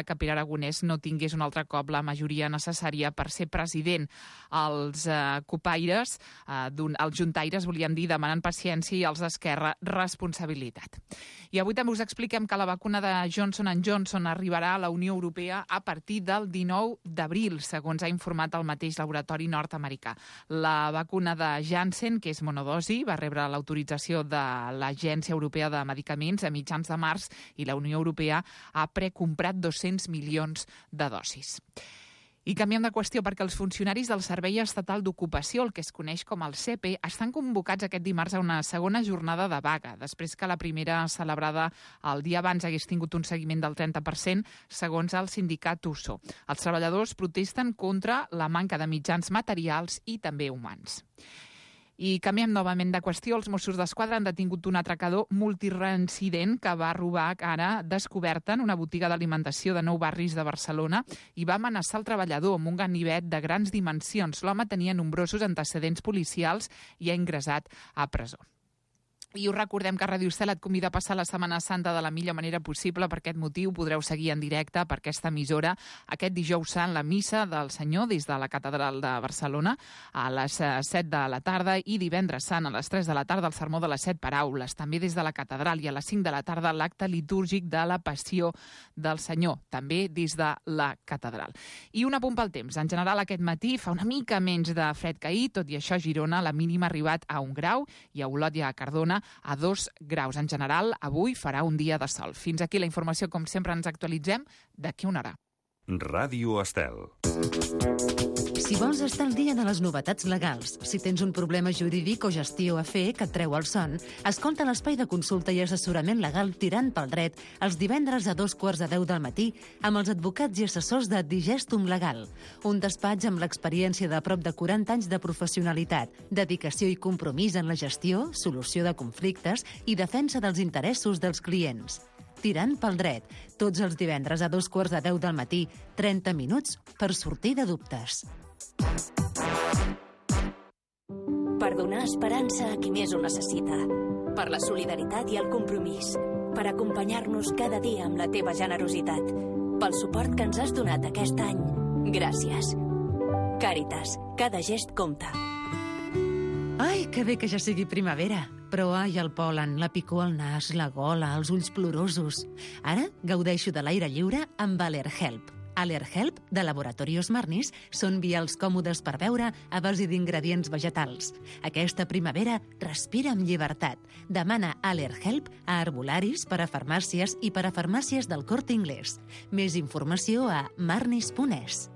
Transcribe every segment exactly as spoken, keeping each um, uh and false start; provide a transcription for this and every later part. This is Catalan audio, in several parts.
que Pere Aragonès no tingués un altre cop la majoria necessària per ser president. Els eh, copaires, eh, els juntaires, volíem dir, demanen paciència i els d'Esquerra responsabilitat. I avui també us expliquem que la vacuna de Johnson and Johnson arribarà a la Unió Europea a partir del dinou d'abril, segons ha informat el mateix laboratori nord-americà. La vacuna de Janssen, que és monodosi, va rebre l'autorització de l'Agència Europea de Medicaments a mitjans de març i la Unió Europea ha precomprat dos-cents milions de dosis. I canviem de qüestió perquè els funcionaris del Servei Estatal d'Ocupació, el que es coneix com el S E P E, estan convocats aquest dimarts a una segona jornada de vaga, després que la primera celebrada el dia abans hagués tingut un seguiment del trenta per cent, segons el sindicat U S O. Els treballadors protesten contra la manca de mitjans materials i també humans. I canviem novament de qüestió. Els Mossos d'Esquadra han detingut un atracador multireincident que va robar ara descoberta en una botiga d'alimentació de Nou Barris de Barcelona i va amenaçar el treballador amb un ganivet de grans dimensions. L'home tenia nombrosos antecedents policials i ha ingressat a presó. I us recordem que Ràdio Estel et convida a passar la Setmana Santa de la millor manera possible. Per aquest motiu podreu seguir en directe per aquesta emissora aquest dijous sant la missa del Senyor des de la Catedral de Barcelona a les set de la tarda i divendres sant a les tres de la tarda el sermó de les set paraules, també des de la Catedral, i a les cinc de la tarda l'acte litúrgic de la Passió del Senyor, també des de la Catedral. I un apunt pel temps. En general aquest matí fa una mica menys de fred que ahir, tot i això a Girona la mínima ha arribat a un grau i a Olot i a Cardona a dos graus. En general, avui farà un dia de sol. Fins aquí la informació, com sempre ens actualitzem d'aquí una hora. Ràdio Estel. Si vols estar al dia de les novetats legals, si tens un problema jurídic o gestió a fer que et treu el son, escolta l'espai de consulta i assessorament legal Tirant pel Dret els divendres a dos quarts de deu del matí amb els advocats i assessors de Digestum Legal, un despatx amb l'experiència de prop de quaranta anys de professionalitat, dedicació i compromís en la gestió, solució de conflictes i defensa dels interessos dels clients. Tirant pel Dret, tots els divendres a dos quarts de deu del matí, trenta minuts per sortir de dubtes. Per donar esperança a qui més ho necessita. Per la solidaritat i el compromís. Per acompanyar-nos cada dia amb la teva generositat. Pel suport que ens has donat aquest any. Gràcies. Càritas, cada gest compta. Ai, que bé que ja sigui primavera. Però ai, el pol·len, la picor al nas, la gola, els ulls plorosos. Ara gaudeixo de l'aire lliure amb Allerhelp. Allerhelp, de Laboratorios Marnis, són vials còmodes per beure a base d'ingredients vegetals. Aquesta primavera respira amb llibertat. Demana Allerhelp a herbolaris, per a farmàcies i per a farmàcies del Corte Inglés. Més informació a marnis punt es.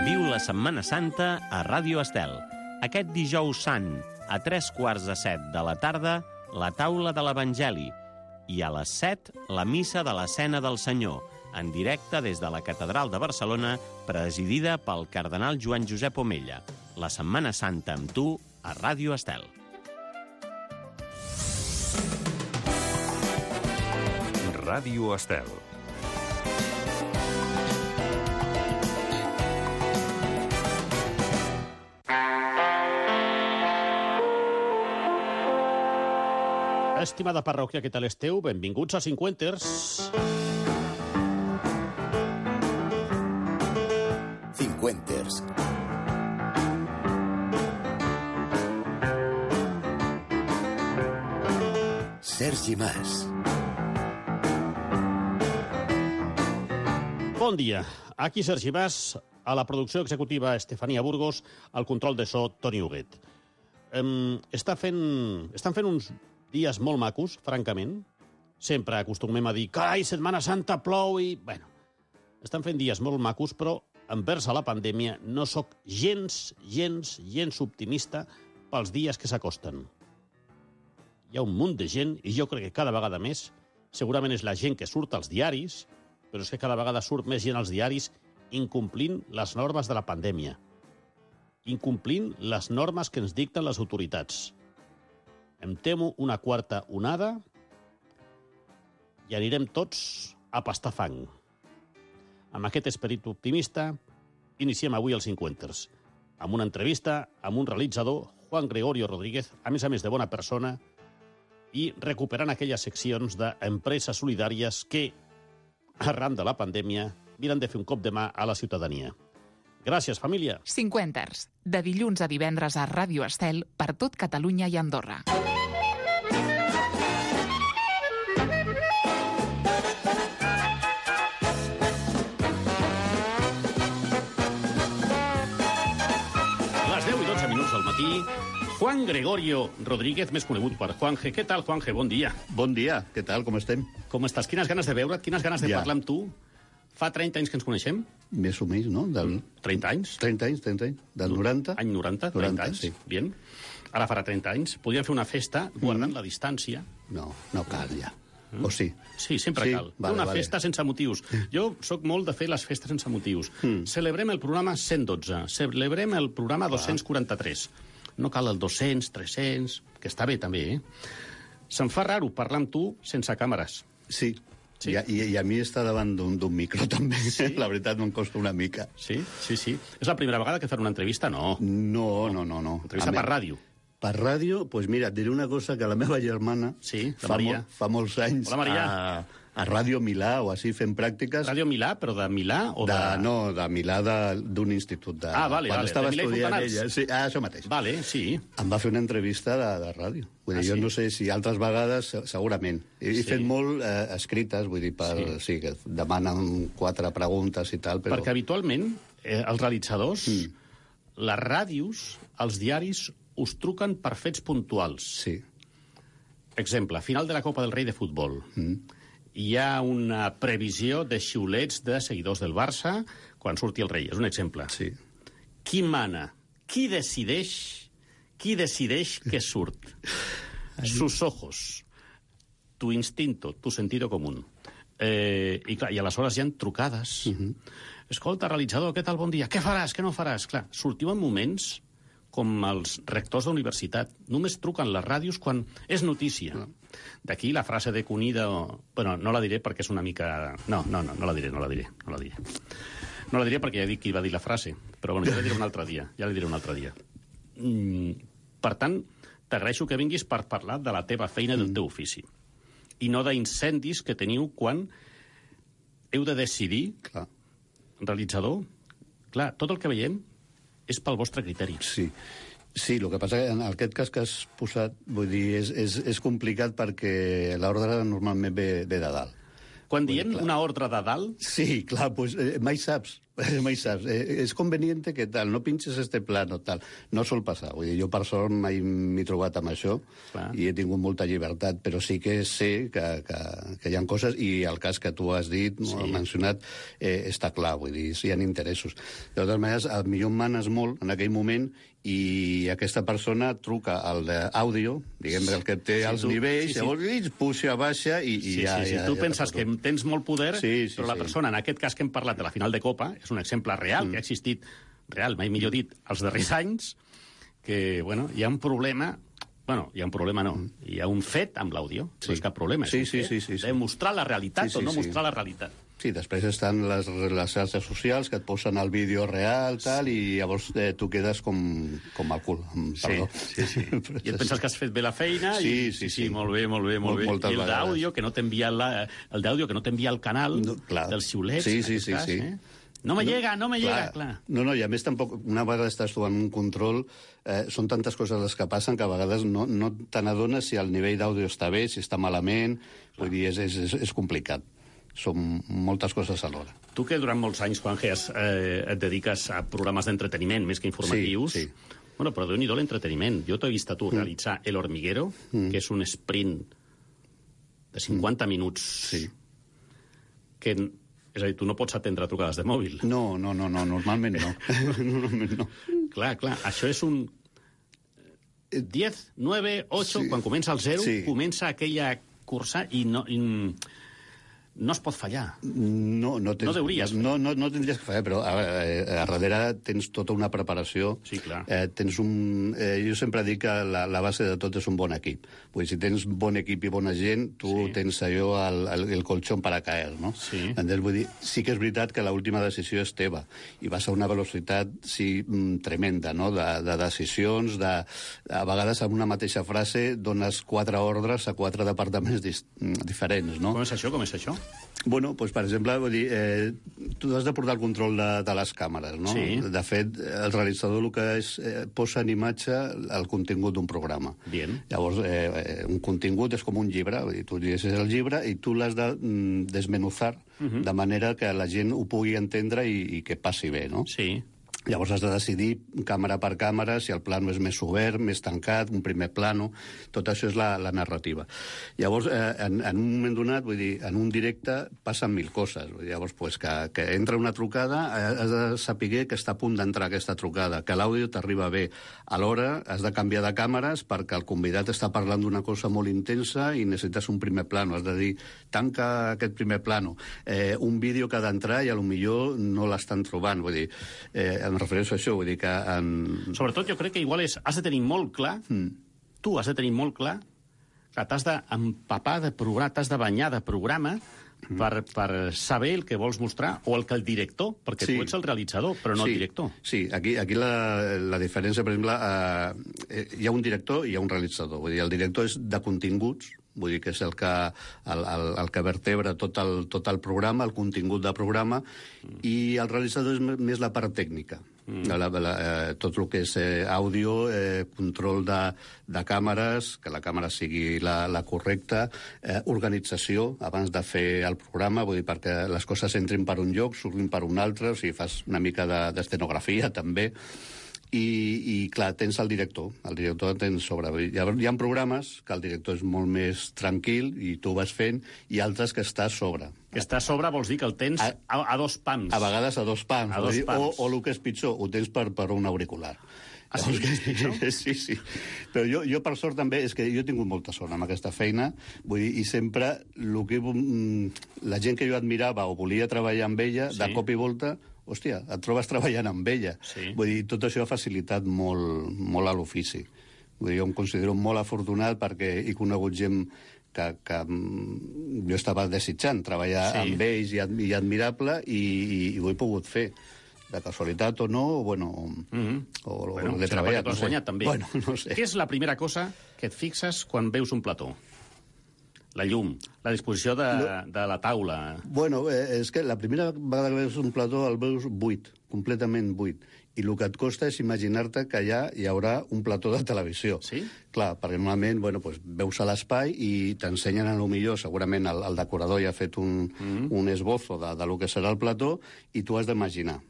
Viu la Setmana Santa a Ràdio Estel. Aquest dijous sant, a tres quarts de set de la tarda, la taula de l'Evangeli. I a les set, la missa de l'Escena del Senyor, en directe des de la Catedral de Barcelona, presidida pel cardenal Joan Josep Omella. La Setmana Santa amb tu a Ràdio Estel. Ràdio Estel. Estimada parròquia, què tal esteu? Benvinguts a Cinquenters. Cinquenters. Sergi Mas. Bon dia. Aquí Sergi Mas, a la producció executiva Estefania Burgos, al control de so Toni Huguet. Um, està fent, estan fent uns dies molt macos, francament. Sempre acostumem a dir, carai, Setmana Santa plou i... Bueno, estan fent dies molt macos, però envers a la pandèmia no sóc gens, gens, gens optimista pels dies que s'acosten. Hi ha un munt de gent, i jo crec que cada vegada més, segurament és la gent que surt als diaris, però és que cada vegada surt més gent als diaris incomplint les normes de la pandèmia, incomplint les normes que ens dicten les autoritats. Em temo una quarta onada i anirem tots a pastar fang. Amb aquest esperit optimista, iniciem avui els Cinquenters, amb una entrevista amb un realitzador, Juan Gregorio Rodríguez, a més a més de bona persona, i recuperant aquelles seccions d'empreses solidàries que, arran de la pandèmia, miren de fer un cop de mà a la ciutadania. Gràcies, família. Cinquenters, de dilluns a divendres a Ràdio Estel per tot Catalunya i Andorra. Al matí, Juan Gregorio Rodríguez, més conegut per Juanje. Què tal, Juanje? Bon dia. Bon dia, què tal, com estem? Com estàs? Quines ganes de veure't, quines ganes de Ja. parlar amb tu. Fa trenta anys que ens coneixem? Més o menys, no? Del... trenta anys? trenta anys, trenta anys. Del noranta? Any noranta, trenta noranta, anys. sí. Bien. Ara farà trenta anys. Podríem fer una festa guardant mm. la distància. No, no cal ja. Mm. O sí? Sí, sempre sí? cal. Vale, una vale. festa sense motius. Jo sóc molt de fer les festes sense motius. Mm. Celebrem el programa cent dotze. Celebrem el programa dos-cents quaranta-tres. No cal el dos-cents, tres-cents, que està bé també, eh? Se'm fa raro parlar amb tu sense càmeres. Sí. Sí? I, i, I a mi estar davant d'un micro també, Sí? la veritat, em costa una mica. Sí, sí, sí. És la primera vegada que fan una entrevista? No. No, no, no. no. Entrevista A per mi- ràdio. Per ràdio, doncs pues mira, et diré una cosa, que la meva germana Sí, la fa, Maria. mol, fa molts anys Hola, Maria. a, a Ràdio Milà o així fent pràctiques. Ràdio Milà, però de Milà o de... de... No, de Milà de- d'un institut. De... Ah, vale, Quan vale, estava de Milà i estudiant Fontanals. ella. Sí, ah, això mateix. Vale, sí. Em va fer una entrevista de, de ràdio. Vull dir, Ah, jo sí? no sé si altres vegades, se- segurament. He, he Sí. fet molt eh, escrites, vull dir, per, Sí. sí. que demanen quatre preguntes i tal, però... Perquè habitualment eh, els realitzadors, mm. les ràdios, els diaris, us truquen per fets puntuals. Sí. Exemple, final de la Copa del Rei de futbol. Mm. Hi ha una previsió de xiulets de seguidors del Barça quan surti el rei. És un exemple. Sí. Qui mana? Qui decideix? Qui decideix què surt? Sus ojos. Tu instinto, tu sentido común. Eh, i, clar, I aleshores hi ha trucades. Uh -huh. Escolta, realitzador, què tal, bon dia? Què faràs, què no faràs? Clar, sortiu en moments com els rectors d'universitat. Només truquen les ràdios quan és notícia. Uh -huh. D'aquí la frase de Cunida... O... Bueno, no la diré perquè és una mica... No, no, no, no la diré, no la diré, no la diré. No la diré perquè ja dic qui va dir la frase, però bueno, ja la diré un altre dia, ja la diré un altre dia. Mm, per tant, t'agraeixo que vinguis per parlar de la teva feina i del teu ofici, i no d'incendis que teniu quan heu de decidir, Clar. realitzador, clar, tot el que veiem és pel vostre criteri. Sí. Sí, el que passa que en aquest cas que has posat, vull dir, és, és, és complicat perquè l'ordre normalment ve, ve de dalt. Quan Vull dir, diem clar. una ordre de dalt, Sí, clar, pues, eh, mai saps, mai saps. Eh, és conveniente que tal, no pinches este plano, tal. No sol passar, vull dir, jo per sort mai m'he trobat amb això Clar. i he tingut molta llibertat, però sí que sé que, que, que hi ha coses, i el cas que tu has dit, sí. has mencionat, eh, està clar, vull dir, si hi ha interessos. De totes maneres, potser manes molt en aquell moment i aquesta persona truca al d'àudio, diguem el que té Sí, els tu- nivells, sí, sí. llavors ell puja, baixa i, i sí, ja... sí, sí. ja, tu ja penses te que poso. tens molt poder, Sí, sí, però la sí. persona, en aquest cas que hem parlat de la final de Copa, és un exemple real, mm. que ha existit, real, mai millor dit, els darrers anys, que, bueno, hi ha un problema... Bueno, hi ha un problema, no. Hi ha un fet amb l'àudio. Sí. No és cap problema. És Sí, un sí, fet sí, sí, sí. de mostrar la realitat Sí, sí, o no sí. mostrar la realitat. Sí, després estan les, les xarxes socials que et posen el vídeo real, tal, i llavors eh, tu quedes com, com el cul, amb perdó. sí, sí. Però I et és penses que has fet bé la feina Sí, i sí, sí, sí. molt bé, molt bé, molt Mol- bé. moltes I el vegades. d'àudio que no t'envia la, el d'àudio que no t'envia el canal No, clar. dels xiulets. Sí, en sí, aquest sí, cas, sí. Eh? No me llega, no me llega, clar. No, no, i a més tampoc, una vegada estàs tu en un control, eh, són tantes coses les que passen que a vegades no, no te n'adones si el nivell d'àudio està bé, si està malament, vull dir, és, és, és, és complicat. Són moltes coses alhora. Tu que durant molts anys, Juanje, has, eh, et dediques a programes d'entreteniment més que informatius, Sí, sí. bueno, però déu-n'hi-do l'entreteniment. Jo t'he vist a tu realitzar El Hormiguero, Mm. que és un sprint de cinquanta minuts, Sí. que, és a dir, tu no pots atendre trucades de mòbil. No, no, no, no, normalment no. Normalment no. Clar, clar, això és un diez, nueve, ocho, Sí. quan comença el zero, Sí. comença aquella cursa i no... I, no es pot fallar. No, no, tens, no deuries fer. No, no, no tindries que fallar, però a, a, a darrere tens tota una preparació. Sí, clar. Eh, tens un, eh, jo sempre dic que la, la base de tot és un bon equip. Vull dir, si tens bon equip i bona gent, tu sí. tens allò, el, el, el colxón para caer, no? Sí. Entonces, vull dir, sí que és veritat que l'última decisió és teva, i vas a una velocitat, sí, tremenda, no?, de, de decisions, de, a vegades en una mateixa frase dones quatre ordres a quatre departaments dis, diferents, no? Com és això? Com és això? Bueno, doncs, per exemple, vull dir, eh, tu has de portar el control de, de les càmeres, no? Sí. De fet, el realitzador el que és, eh, posa en imatge el contingut d'un programa. Bien. Llavors, eh, un contingut és com un llibre, vull dir, tu llegeixes el llibre i tu l'has de mm, desmenuzar uh-huh. de manera que la gent ho pugui entendre i, i que passi bé, no? Sí. Llavors has de decidir, càmera per càmera, si el plano és més obert, més tancat, un primer plano. Tot això és la, la narrativa. Llavors, eh, en, en un moment donat, vull dir, en un directe passen mil coses. Llavors, pues, que, que entra una trucada, has de saber que està a punt d'entrar aquesta trucada, que l'àudio t'arriba bé. Alhora, has de canviar de càmeres perquè el convidat està parlant d'una cosa molt intensa i necessites un primer plano. Has de dir, tanca aquest primer plano. Eh, un vídeo que ha d'entrar i potser no l'estan trobant. Vull dir, eh, em refereixo a això, vull dir que... En... Sobretot jo crec que igual és, has de tenir molt clar, mm. tu has de tenir molt clar, que t'has d'empapar de programa, t'has de banyar de programa mm. per, per saber el que vols mostrar, o el que el director, perquè sí. tu ets el realitzador, però no sí. el director. Sí, aquí, aquí la, la diferència, per exemple, eh, hi ha un director i hi ha un realitzador. Vull dir, el director és de continguts, vull dir que és el que, el, el, el que vertebra tot el, tot el programa, el contingut del programa, mm. i el realitzador és més la part tècnica. Mm. La, la, eh, tot el que és eh, àudio, eh, control de, de càmeres, que la càmera sigui la, la correcta, eh, organització abans de fer el programa, vull dir, perquè les coses entrin per un lloc, surtin per un altre, o sigui, fas una mica d'estenografia, de, també. I, i, clar, tens el director. El director tens sobre... Hi ha, hi ha programes que el director és molt més tranquil i tu vas fent, i altres que està a sobre. Que està a sobre vols dir que el tens a, a, a dos pams. A vegades a dos pams. A dos dir, pams. O, o el que és pitjor, ho tens per, per un auricular. Ah, sí? Que, sí, sí. Però jo, jo, per sort, també, és que jo he tingut molta sort amb aquesta feina, vull dir, i sempre el que, la gent que jo admirava o volia treballar amb ella, sí. de cop i volta, hòstia, et trobes treballant amb ella. Sí. Vull dir, tot això ha facilitat molt, molt a l'ofici. Vull dir, jo em considero molt afortunat perquè he conegut gent que, que jo estava desitjant treballar sí. amb ells i, i admirable, i, i, i ho he pogut fer. De casualitat o no, o, bueno, mm-hmm. o, bueno, o l'he treballat. T'ho has guanyat, també. Bueno, no sé. Què és la primera cosa que et fixes quan veus un plató? La llum, la disposició de, no. de la taula. Bueno, eh, és que la primera vegada que veus un plató el veus buit, completament buit. I el que et costa és imaginar-te que allà hi haurà un plató de televisió. Sí? Clar, perquè normalment bueno, pues, veus a l'espai i t'ensenyen a lo millor, segurament el, el decorador ja ha fet un, mm-hmm. un esbozo de, de lo que serà el plató i tu has d'imaginar.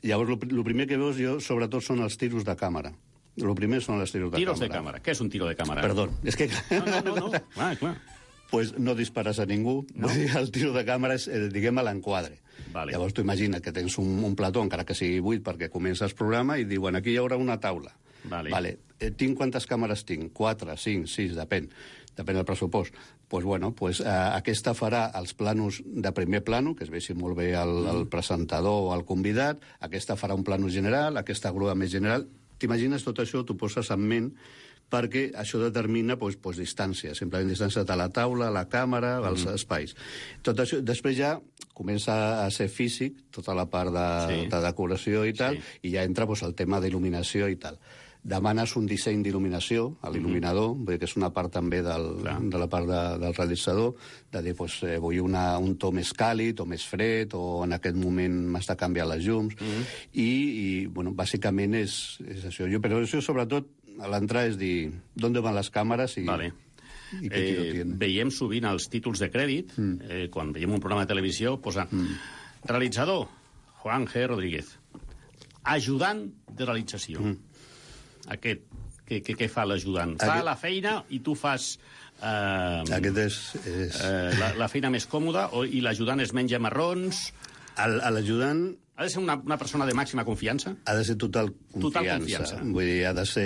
Llavors, el primer que veus jo, sobretot, són els tiros de càmera. El primer són els tiros de tiros càmera. Tiros de càmera. Què és un tiro de càmera? Perdó, és que... No, no, no, no. Ah, clar. Pues no dispares a ningú. No? El tiro de càmera és, eh, diguem, a l'enquadre. Vale. Llavors tu imagina que tens un, un plató, encara que sigui buit, perquè comences el programa i diuen aquí hi haurà una taula. Vale. Vale. Eh, tinc quantes càmeres tinc? Quatre, cinc, sis, depèn. Depèn del pressupost. Pues, bueno, pues, eh, aquesta farà els planos de primer plano, que es vegi molt bé el, mm. el presentador o el convidat, aquesta farà un plano general, aquesta grua més general. T'imagines tot això, t'ho poses en ment, perquè això determina pues, pues, distància, simplement distància de la taula, la càmera, els mm. espais. Tot això, després ja comença a ser físic, tota la part de, sí. de decoració i tal, sí. i ja entra pues, el tema d'il·luminació i tal. Demanes un disseny d'il·luminació a l'il·luminador, mm-hmm. vull dir que és una part també del, de la part de, del realitzador, de dir, pues, eh, vull una, un to més càlid o més fred, o en aquest moment m'has de canviar les llums, mm-hmm. i, i bueno, bàsicament és, és això. Jo, però això, sobretot, a l'entrar és dir, d'on van les càmeres i... Vale. i què eh, veiem sovint els títols de crèdit, mm. eh, quan veiem un programa de televisió, posa mm. realitzador, Juan G. Rodríguez, ajudant de realització. Mm. Aquest, què, què, què fa l'ajudant? Aquest... Fa la feina i tu fas... Eh, Aquest és... és... Eh, la, la feina més còmoda, o, i l'ajudant es menja marrons... L'ajudant... Ha de ser una, una persona de màxima confiança? Ha de ser total confiança. Total confiança. Vull dir, ha de ser...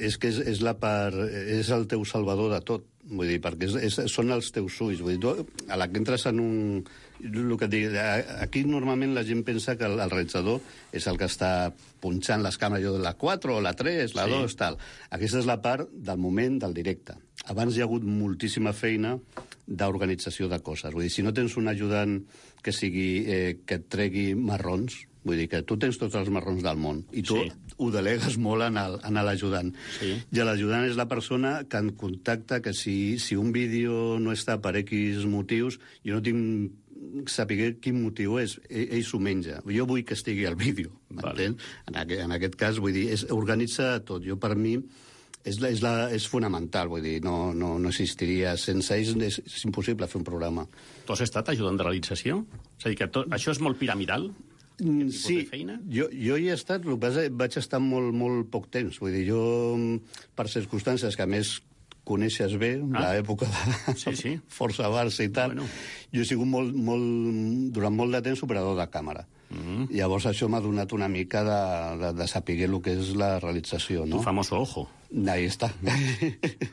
És que és, és, la part, és el teu salvador de tot. vull dir, perquè és, és, són els teus ulls. Vull dir, tu, a la que entres en un... El que et dic, aquí normalment la gent pensa que el, el realitzador és el que està punxant les càmeres, jo, la quatre, la tres, la sí. dos, tal. Aquesta és la part del moment del directe. Abans hi ha hagut moltíssima feina d'organització de coses. Vull dir, si no tens un ajudant que sigui eh, que et tregui marrons, vull dir que tu tens tots els marrons del món i tu sí. ho delegues molt en el, en l'ajudant. Sí. I l'ajudant és la persona que en contacta que si, si un vídeo no està per X motius, jo no tinc saber quin motiu és, ell, ell s'ho menja. Jo vull que estigui al vídeo, m'entens? Vale. En, aquest, en aquest cas, vull dir, és, organitza tot. Jo, per mi, és, la, és, la, és fonamental, vull dir, no, no, no existiria. Sense ells és, és impossible fer un programa. Tu has estat ajudant de realització? És a dir, que tot, això és molt piramidal? Sí, jo, jo hi he estat, el que passa, vaig estar molt, molt poc temps. Vull dir, jo, per circumstàncies que a més coneixes bé, ah. l'època de sí, sí. Força Barça i tal, bueno. Jo he sigut molt, molt, durant molt de temps operador de càmera. Mm-hmm. Llavors això m'ha donat una mica de, de, de saber el que és la realització, no? Tu famoso ojo. Ahí està.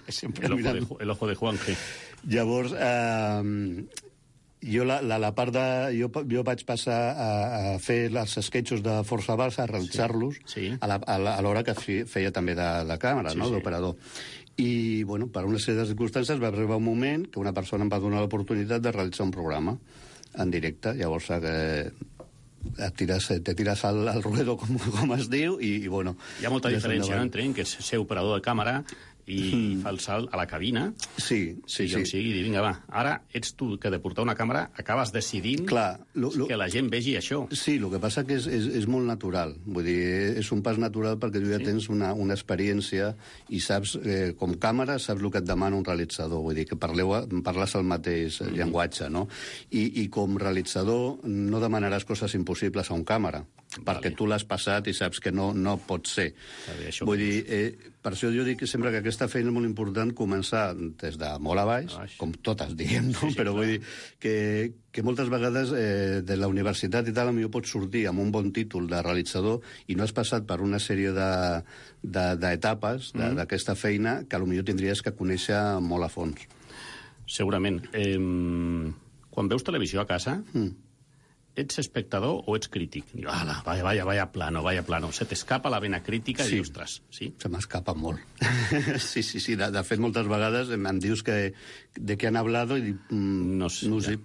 Sempre el, ojo de, el ojo de Juanje. Llavors, eh, jo, la, la, la part de, jo, jo vaig passar a, a fer els sketchos de Força Barça, a realitzar-los, sí. Sí. a l'hora que feia també de, de càmera, sí, no? Sí. D'operador. I, bueno, per una sèrie de circumstàncies va arribar un moment que una persona em va donar l'oportunitat de realitzar un programa en directe. Llavors, eh, et tires, te tires al, al ruedo, com, com es diu, i, i bueno... Hi ha molta diferència, no?, entre que és ser operador de càmera i mm. fa el salt a la cabina. Sí, sí, sí. sí. I dir, vinga, va, ara ets tu que de portar una càmera acabes decidint Clar, lo, lo... que la gent vegi això. Sí, el que passa que és, és, és molt natural. Vull dir, és un pas natural perquè tu ja sí. tens una, una experiència i saps, eh, com càmera, saps el que et demana un realitzador. Vull dir, que parleu, parles el mateix mm. llenguatge, no? I, I com realitzador no demanaràs coses impossibles a un càmera, vale. Perquè tu l'has passat i saps que no, no pot ser. Bé, Vull dir, eh, per això jo dic que sempre que aquesta feina és molt important començar des de molt a baix, baix. com totes diguem, no? Sí, sí, però clar. Vull dir que, que moltes vegades eh, de la universitat i tal, potser pots sortir amb un bon títol de realitzador i no has passat per una sèrie d'etapes de, de, mm. d'aquesta feina que potser tindries que conèixer molt a fons. Segurament. Eh, quan veus televisió a casa... Mm. Ets espectador o ets crític? Diu, ala, vaya, vaya, vaya plano, vaya plano. Se t'escapa la vena crítica sí. i dius, ostres, sí? Se m'escapa molt. sí, sí, sí. De, de fet, moltes vegades em, em dius que de què han hablado i dic, mm, no sé. No sé.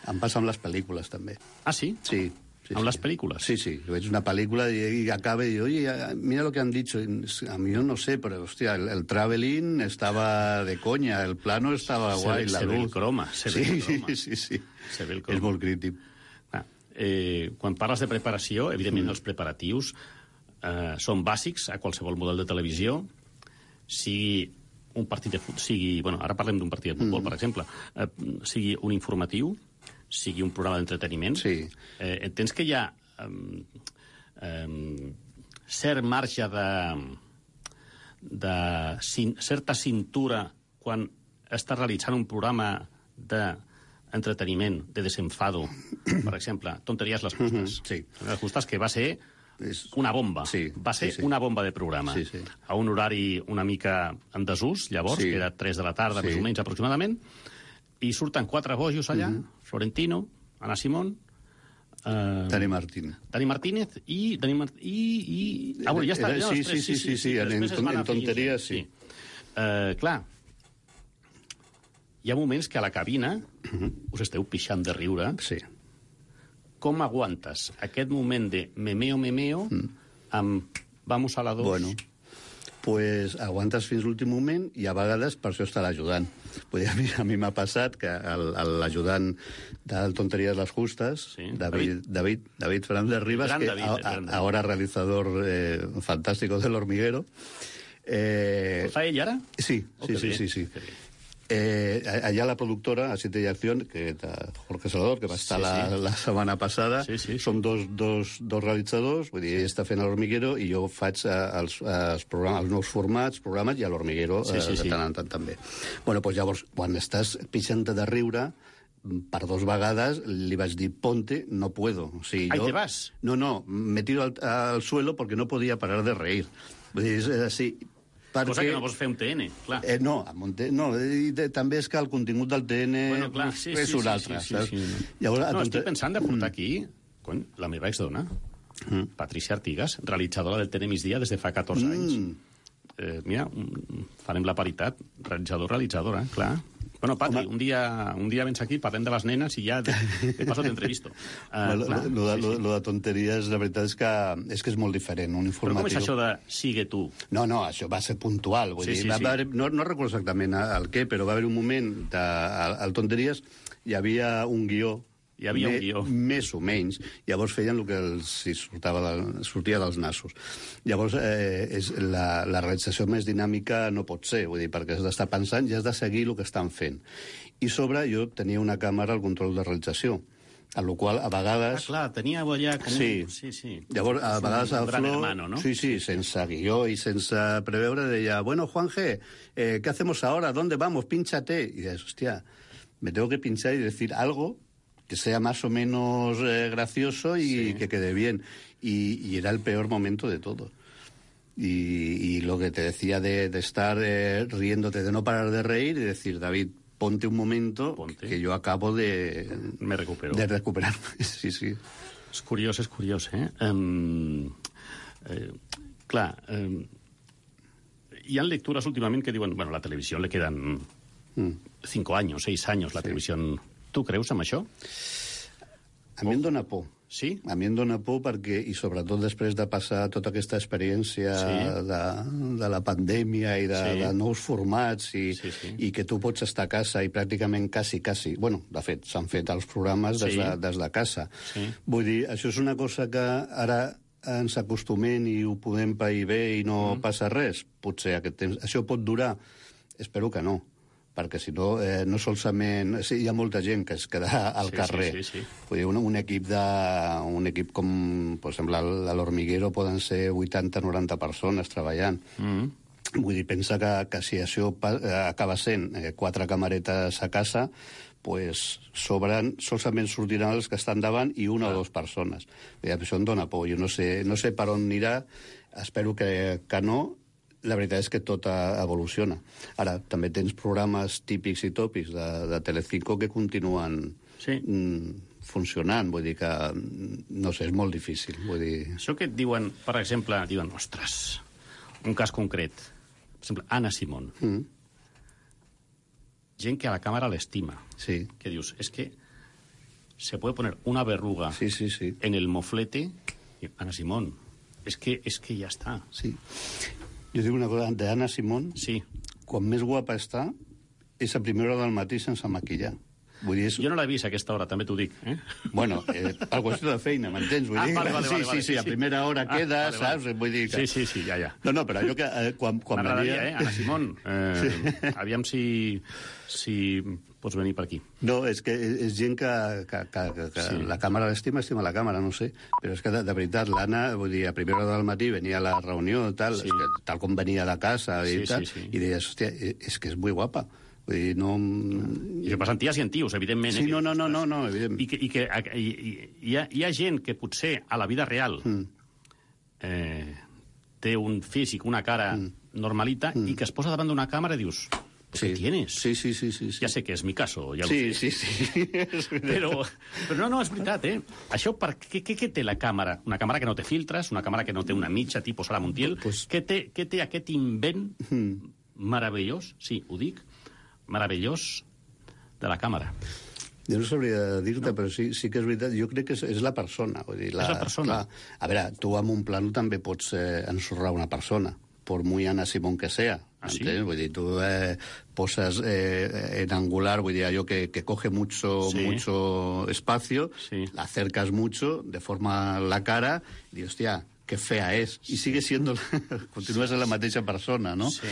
Em passa amb les pel·lícules, també. Ah, sí? Sí. Sí, amb sí. les pel·lícules? Sí, sí. Veig una pel·lícula i, i acaba i diu, oye, mira lo que han dicho. A mí yo no sé, pero, hostia, el, el traveling estaba de coña, el plano estaba se guay, ve, la se luz. Ve el croma, se sí, ve el croma. Sí, sí, sí. Se ve el croma. És molt crític. Eh, quan parles de preparació, evidentment mm. els preparatius eh, són bàsics a qualsevol model de televisió, sigui un partit de futbol, sigui, bueno, ara parlem d'un partit de futbol, mm. per exemple, eh, sigui un informatiu, sigui un programa d'entreteniment, sí. eh, entens que hi ha eh, eh, cert marge de, de cin, certa cintura quan estàs realitzant un programa de entreteniment, de desenfado, per exemple, Tonteries les justes. Mm-hmm, sí. Les justes, que va ser una bomba. Sí, va ser sí, sí. una bomba de programa. Sí, sí. A un horari una mica en desús, llavors, sí. que era tres de la tarda, sí. més o menys, aproximadament, i surten quatre bojos allà, mm-hmm. Florentino, Ana Simón, Uh, Dani Martín. Dani Martínez i... Dani Mart... I, i... Ah, bueno, ja està. Era, sí, sí, sí, sí, sí, sí, en, en, en tonteries, sí. sí. Uh, clar, hi ha moments que a la cabina uh-huh. us esteu pixant de riure. Sí. Com aguantes aquest moment de memeo, memeo, mm. amb vamos a la dos? Bueno, pues aguantes fins l'últim moment i a vegades per això està l'ajudant. Vull dir, a mi, a mi m'ha passat que l'ajudant del Tonteries les Justes, sí. David, David, David Fernández Rivas, que David, a, a, ahora realizador eh, fantástico del Hormiguero. Eh, ¿Lo fa ell ara? Sí, oh, sí, sí, sí, sí, sí. Eh, allà la productora, a Siete y Acción, que de Jorge Salvador, que va estar sí, sí. La, la setmana passada, sí, sí. som dos, dos, dos realitzadors, vull dir, ell està fent l'Hormiguero i jo faig els, els, programes, els nous formats, programes, i a l'Hormiguero sí, sí, eh, de tant en tant també. Bueno, doncs llavors, quan estàs pixant de riure, per dos vegades li vaig dir, ponte, no puedo. O sigui, Ahí jo, te vas? No, no, me tiro al, al suelo porque no podía parar de reír. Vull dir, és així. Perquè... Cosa que no vols fer un T N, clar. Eh, no, amb un T N, no, i de, també és que el contingut del T N bueno, clar, sí, és sí, un sí, altre, sí, sí, sí, sí. Llavors, no, estic pensant de portar aquí cony, la meva exdona, mm. Patricia Artigas, realitzadora del T N Migdia des de fa catorze mm. anys. Eh, mira, farem la paritat, realitzador-realitzadora, clar. Bueno, Patri, un dia, un dia vens aquí, parlem de les nenes i ja de, de paso t'entrevisto. Uh, lo, lo, lo, sí, sí. lo de tonteries, la veritat és que és que és molt diferent, un informatiu... Però com és això de sigue tu? No, no, això va ser puntual. Vull sí, dir, sí, va, sí. Va, no, no recordo exactament el què, però va haver un moment de, al, al tonteries hi havia un guió Hi havia me, un guió. Més o menys. Llavors feien el que els, si sortava del, sortia dels nassos. Llavors, eh, és la, la realització més dinàmica no pot ser, vull dir, perquè has d'estar pensant i has de seguir el que estan fent. I sobre, jo tenia una càmera al control de realització, a la qual a vegades... Ah, clar, tenia allà com sí. un... Sí, sí. Llavors, a vegades un el gran Flo... hermano, ¿no? Sí, sí, sense guió i sense preveure, deia, bueno, Juanje, eh, ¿qué hacemos ahora? ¿Dónde vamos? Pínchate. Y dices, hostia, me tengo que pinchar y decir algo que sea más o menos eh, gracioso y sí. que quede bien. Y, y era el peor momento de todo. Y, y lo que te decía de, de estar eh, riéndote, de no parar de reír y decir, David, ponte un momento ponte. que yo acabo de... Me recupero. De recuperar. Sí, sí. És curiós, és curiós, eh? Um, eh clar, um, hi ha lectures últimament que diuen, bueno, la televisió le quedan mm. cinco años, seis años, la sí. televisió... Tu creus en això? A mi em dóna por. Sí? A mi em dóna por perquè, i sobretot després de passar tota aquesta experiència sí. de, de la pandèmia i de, sí. de nous formats i, sí, sí. i que tu pots estar a casa i pràcticament quasi, quasi... Bueno, de fet, s'han fet els programes des, sí. de, des de casa. Sí. Vull dir, això és una cosa que ara ens acostumem i ho podem pair bé i no mm. passa res. Potser aquest temps... Això pot durar? Espero que no. Perquè si no, eh, no solament... Sí, hi ha molta gent que es queda al sí, carrer. Sí, sí, sí. Vull dir, un, un, equip de, un equip com, per exemple, a l'Hormiguero poden ser vuitanta o noranta persones treballant. Mm. Vull dir, pensa que, que si això acaba sent eh, quatre camaretes a casa, pues sobren, solament sortiran els que estan davant i una ah. o dues persones. Vull dir, això em dóna por. Jo no sé, no sé per on anirà, espero que, que no. La veritat és que tot evoluciona. Ara, també tens programes típics i tòpics de, de Telecinco que continuen sí. mm, funcionant. Vull dir que, no sé, és molt difícil. Vull dir... Això que et diuen, per exemple, diuen, ostres, un cas concret. Per exemple, Anna Simón. Mm. Gent que a la càmera l'estima. Sí. Que dius, és que se puede poner una verruga sí, sí, sí. en el moflete. Anna Simón, és que, és que ja està. Sí. Jo dic una cosa, d'Anna Simón, sí. quan més guapa està, és a primera hora del matí sense maquillar. Vull dir, és... Jo no l'he vist a aquesta hora, també t'ho dic. Eh? Bueno, eh, per qüestió de feina, m'entens? Vull ah, dir, vale, vale, sí, vale, sí, vale, sí, sí, a primera hora ah, queda, vale, vale. Saps? Vull dir que... Sí, sí, sí, ja, ja. No, no, però allò que... Eh, quan, quan M'agradaria, venia... eh, Anna Simón. Eh, sí. Aviam si, si pots venir per aquí. No, és que és gent que, que, que, que sí. la càmera l'estima, estima la càmera, no sé. Però és que, de, de veritat, l'Anna, vull dir, a primera hora del matí venia a la reunió, tal, sí. que, tal com venia de casa i sí, tal, sí, sí. i deies, hòstia, és que és molt guapa. Vull dir, no... I això passen ties i antius, evidentment. Sí, eh, no, no, no, no, no, evident. I que, i que i, i, hi, ha, hi ha gent que potser a la vida real mm. eh, té un físic, una cara mm. normalita, mm. i que es posa davant d'una càmera i dius... Sí. ¿Qué tienes? Sí, sí, sí, sí, sí. Ja sé que és mi caso, ja sí, ho sé. Sí, sí, sí. però, però no, no, és veritat, eh? Això, per, què, què, què té la càmera? Una càmera que no té filtres, una càmera que no té una mitja tipus Sara Montiel. Pues... Què, té, què té aquest invent mm. meravellós, sí, ho dic, meravellós de la càmera? Jo no sabria dir-te, no. però sí, sí que és veritat. Jo crec que és, és la persona. Vull dir, la, és la persona. Clar, a veure, tu amb un plano també pots eh, ensorrar una persona, por muy Anna Simón que sea. ¿Ah, sí? Vull dir, tu eh, poses eh, en angular, vull dir, allò que, que coge mucho, sí. mucho espacio, sí. la acercas mucho, deforma la cara, i dius, hòstia, que fea és. I sigue siendo... Continues sí. la mateixa persona, no? Sí.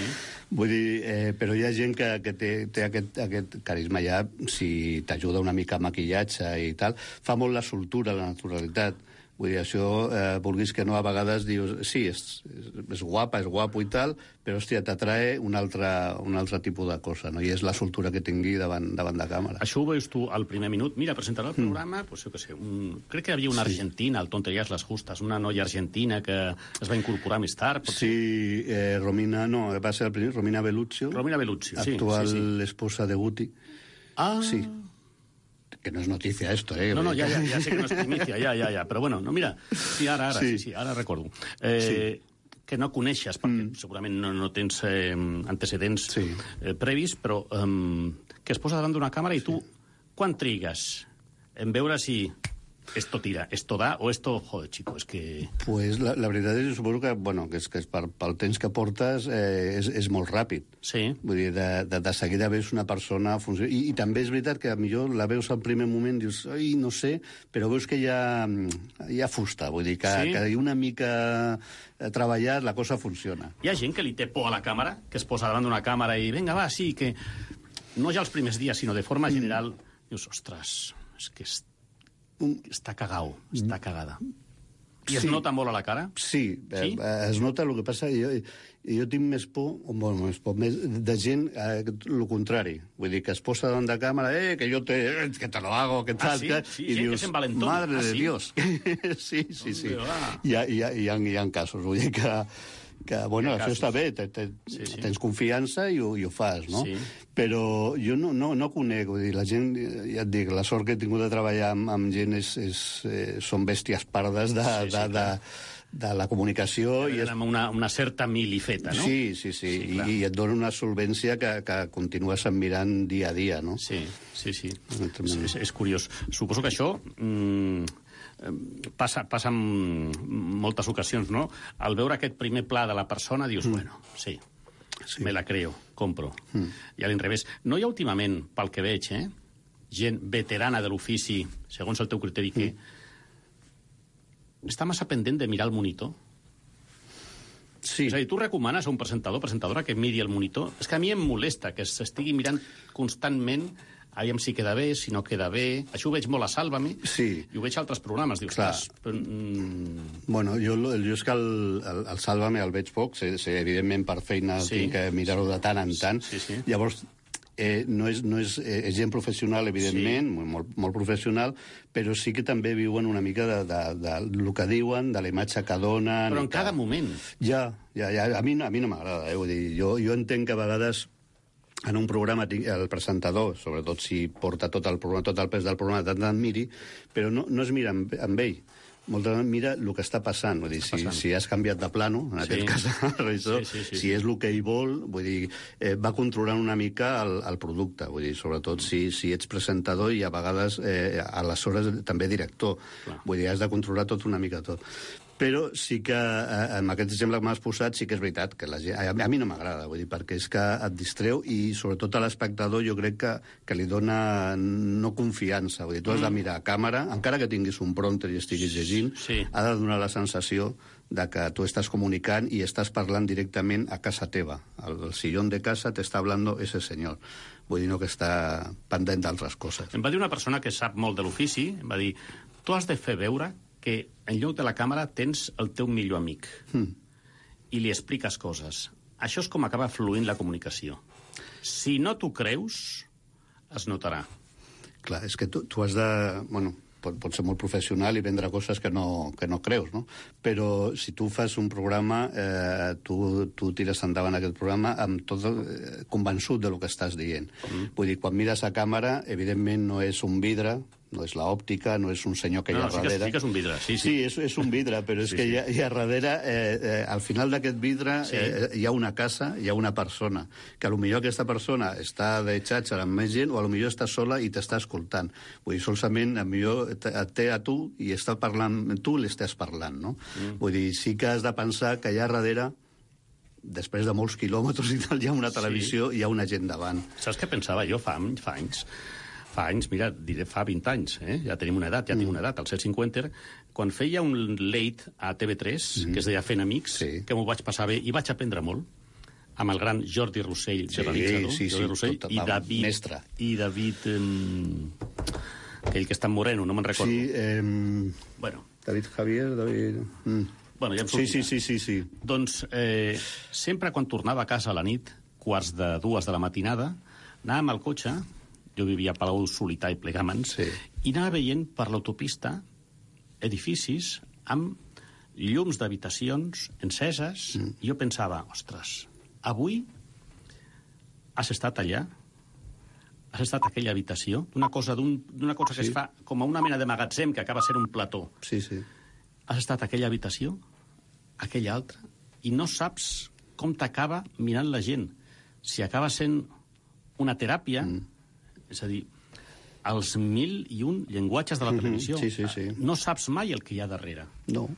Vull dir, eh, però hi ha gent que, que té, té aquest, aquest carisma ja, si t'ajuda una mica a maquillatge i tal, fa molt la soltura, la naturalitat. Vull dir, això, eh, vulguis que no, a vegades dius, sí, és, és guapa, és guapo i tal, però, hòstia, t'atrae un altre, un altre tipus de cosa, no? I és la soltura que tingui davant, davant de càmera. Això ho veus tu al primer minut. Mira, presentarà el programa, mm. pues, jo què sé, un... crec que hi havia una sí. argentina, al Tonteries les Justes, una noia argentina que es va incorporar més tard. Potser... Sí, eh, Romina, no, va ser el primer, Romina Belluccio. Romina Belluccio, sí. Actual sí, sí. esposa de Guti. Ah... Sí. Que no es noticia esto, ¿eh? No, no, ya, ya, ya sé que no es primicia, ya, ya, ya. Però bueno, no, mira, sí, ara, ara, sí, sí, sí ara recordo. Eh, sí. Que no coneixes, perquè mm. segurament no, no tens eh, antecedents sí. eh, previs, però eh, que es posa davant d'una càmera i tu, sí. quan trigues en veure si esto tira, esto da, o esto, joder, chico, es que... Pues la, la veritat és, suposo que, bueno, que és, que és per, pel temps que portes eh, és, és molt ràpid. Sí. Vull dir, de, de, de seguida veus una persona... Funció... I, I també és veritat que millor la veus al primer moment, dius, ai, no sé, però veus que hi ha, hi ha fusta, vull dir, que, sí. que una mica treballat la cosa funciona. Hi ha gent que li té por a la càmera, que es posa davant d'una càmera i, vinga, va, sí, que... No ja els primers dies, sinó de forma general, mm. dius, ostres, és que... És... Està cagau, està cagada. I es sí. nota molt a la cara? Sí, sí? Eh, es nota. El que passa, jo, jo tinc més por, o bueno, més por més de gent, eh, el contrari. Vull dir, que es posa davant de càmera, eh, que jo te, eh, que te lo hago, que tal, ah, sí? que... Sí, i gent dius, que s'envalentona. madre ah, de sí? Dios. sí, sí, sí. Ah. Hi ha, hi, ha, hi, ha, hi ha casos, vull dir que... que, bueno, això casos. Està bé, te, te, sí, sí. tens confiança i ho, i ho fas, no? Sí. Però jo no, no, no conec, vull dir, la gent, ja et dic, la sort que he tingut de treballar amb, amb gent és, és, eh, són bèsties pardes de, sí, sí, de, de, de la comunicació. I és... Amb una, una certa milifeta, no? Sí, sí, sí, sí I, i et dona una solvència que, que continues admirant dia a dia, no? Sí, sí, sí. És, és, és curiós. Suposo que això... Mm... Passa, passa en moltes ocasions, no? Al veure aquest primer pla de la persona, dius, mm. bueno, sí, sí, me la creo, compro. Mm. I a l'inrevés. No hi ha últimament, pel que veig, eh, gent veterana de l'ofici, segons el teu criteri, que mm. està massa pendent de mirar el monitor? Sí. És a dir, tu recomanes a un presentador, presentadora, que miri el monitor? És que a mi em molesta que s'estigui mirant constantment aviam si queda bé, si no queda bé... Això ho veig molt a Sálvame, sí. I ho veig a altres programes. Dius, clar. Però, mm... Bueno, jo, jo és que el, el, el Sálvame el veig poc, sé, sé, evidentment per feina sí. tinc que mirar-ho de tant en tant. Sí, sí. Llavors, eh, no és, no és, eh, és gent professional, evidentment, sí. molt, molt professional, però sí que també viuen una mica de, de, de, de lo que diuen, de la imatge que donen... Però en cada moment. Ja, ja, ja. A mi, a mi no m'agrada, eh? Vull dir, jo, jo entenc que a vegades... En un programa, el presentador, sobretot si porta tot el, programa, tot el pes del programa, tant en miri, però no, no es mira amb, amb ell. Molt de mira el que està passant. Vull dir, si, si has canviat de plano, en sí. aquest cas, això, sí, sí, sí, si és el que ell vol, vull dir, eh, va controlant una mica el, el producte. Vull dir, sobretot si, si ets presentador i a vegades, eh, aleshores, també director. Clar. Vull dir, has de controlar tot una mica tot. Però sí que, eh, amb aquest exemple que m'has posat, sí que és veritat que la gent, a, a mi no m'agrada, vull dir, perquè és que et distreu i sobretot a l'espectador jo crec que, que li dona no confiança. Vull dir, tu has de mirar a càmera, encara que tinguis un prompter i estiguis llegint, sí. ha de donar la sensació de que tu estàs comunicant i estàs parlant directament a casa teva. El, el sillón de casa t'està hablando ese senyor. Vull dir, no que està pendent d'altres coses. Em va dir una persona que sap molt de l'ofici, em va dir, tu has de fer veure que en lloc de la càmera tens el teu millor amic mm. i li expliques coses. Això és com acaba fluint la comunicació. Si no t'ho creus, es notarà. Clar, és que tu, tu has de... Bueno, pot, pot ser molt professional i vendre coses que no, que no creus, no? Però si tu fas un programa, eh, tu, tu tires endavant aquest programa amb tot eh, convençut de lo que estàs dient. Mm. Vull dir, quan mires a càmera, evidentment no és un vidre, no és l'òptica, no és un senyor que no, hi ha no, darrere. Sí que és un vidre, sí, sí. Sí, és, és un vidre, però és sí, que sí. Hi, ha, hi ha darrere, eh, eh, al final d'aquest vidre, sí. eh, hi ha una casa, hi ha una persona, que potser aquesta persona està de xatxa amb més gent, o potser està sola i t'està escoltant. Vull dir, solament, potser et té a tu i està parlant, tu l'estàs parlant, no? Mm. Vull dir, sí que has de pensar que allà darrere, després de molts quilòmetres i tal, hi ha una televisió i sí. hi ha una gent davant. Saps què pensava jo fa, fa anys? Fa anys, mira, diré fa vint anys, eh? Ja tenim una edat, ja mm. tinc una edat, al set cinquanta, quan feia un late a T V tres, mm. que es deia Fent Amics, sí. que m'ho vaig passar bé, i vaig aprendre molt, amb el gran Jordi Rossell, sí, realitzador, sí, sí, Jordi Rossell, tot, i David... Mestre. I David... Eh, aquell que està en moreno, no me'n recordo. Sí, eh... Bueno, David Javier, David... Mm. Bueno, ja em sí, sortirà. sí, sí, sí, sí. Doncs eh, sempre quan tornava a casa a la nit, quarts de dues de la matinada, anàvem al cotxe, jo vivia a Palau Solità i Plegamans, Sí. i anava veient per l'autopista edificis amb llums d'habitacions enceses, mm. i jo pensava, ostres, avui has estat allà? Has estat a aquella habitació? D'una cosa, d'un, d'una cosa que Sí. es fa com a una mena de magatzem que acaba sent un plató. Sí, sí. Has estat a aquella habitació, a aquella altra, i no saps com t'acaba mirant la gent. Si acaba sent una teràpia, mm. és a dir, els mil i un llenguatges de la televisió. Sí, sí, sí. No saps mai el que hi ha darrere. No.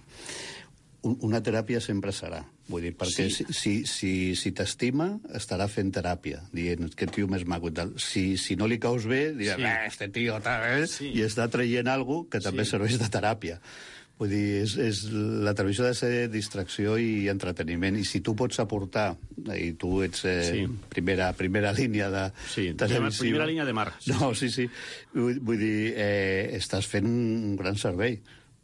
Un- Una teràpia sempre serà. Vull dir, perquè Sí. si, si, si, si t'estima, estarà fent teràpia, dient que tio més maco i tal. Si, si no li caus bé, dirà, Sí. sí. este tio, tal, eh? Sí. I està traient alguna que també Sí. serveix de teràpia. Vull dir, és, és, la televisió ha de ser distracció i entreteniment, i si tu pots aportar, i tu ets eh, Sí. primera, primera línia de Sí, televisiva... primera línia de mar. Sí, No, sí, sí. Vull, vull dir, eh, estàs fent un gran servei.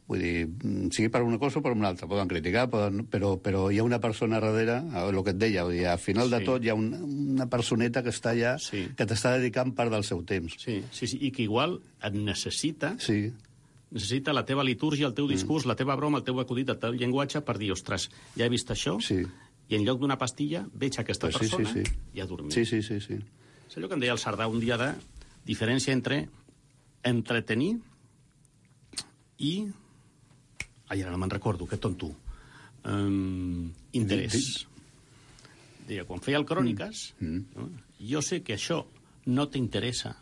Vull dir, sigui per una cosa o per una altra. Poden criticar, poden, però, però hi ha una persona darrere, el que et deia, vull dir, al final Sí. de tot hi ha una, una personeta que està allà, Sí. que t'està dedicant part del seu temps. Sí, sí, sí, i que igual et necessita, Sí, necessita la teva litúrgia, el teu discurs, mm. la teva broma, el teu acudit, el teu llenguatge per dir, ostres, ja he vist això, sí. i en lloc d'una pastilla veig aquesta Pues sí, persona sí, sí. i a dormir. Sí, sí, sí, sí. És allò que em deia el Cerdà un dia de diferència entre entretenir i... Ai, ara no me'n recordo, que tonto. Um, interès. Deia, quan feia el Cròniques, Mm. no? Jo sé que això no t'interessa,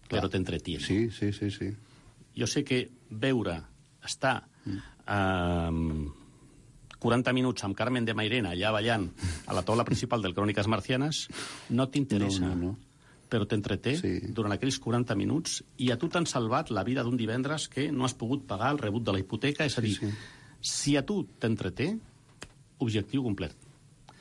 però t'entretiene. Sí, sí, sí, sí. Jo sé que veure, estar eh, quaranta minuts amb Carmen de Mairena allà ballant a la taula principal del Cròniques Marcianes no t'interessa, No, no, no. però t'entreté Sí. durant aquells quaranta minuts i a tu t'han salvat la vida d'un divendres que no has pogut pagar el rebut de la hipoteca. És a dir, sí. si a tu t'entreté, objectiu complet.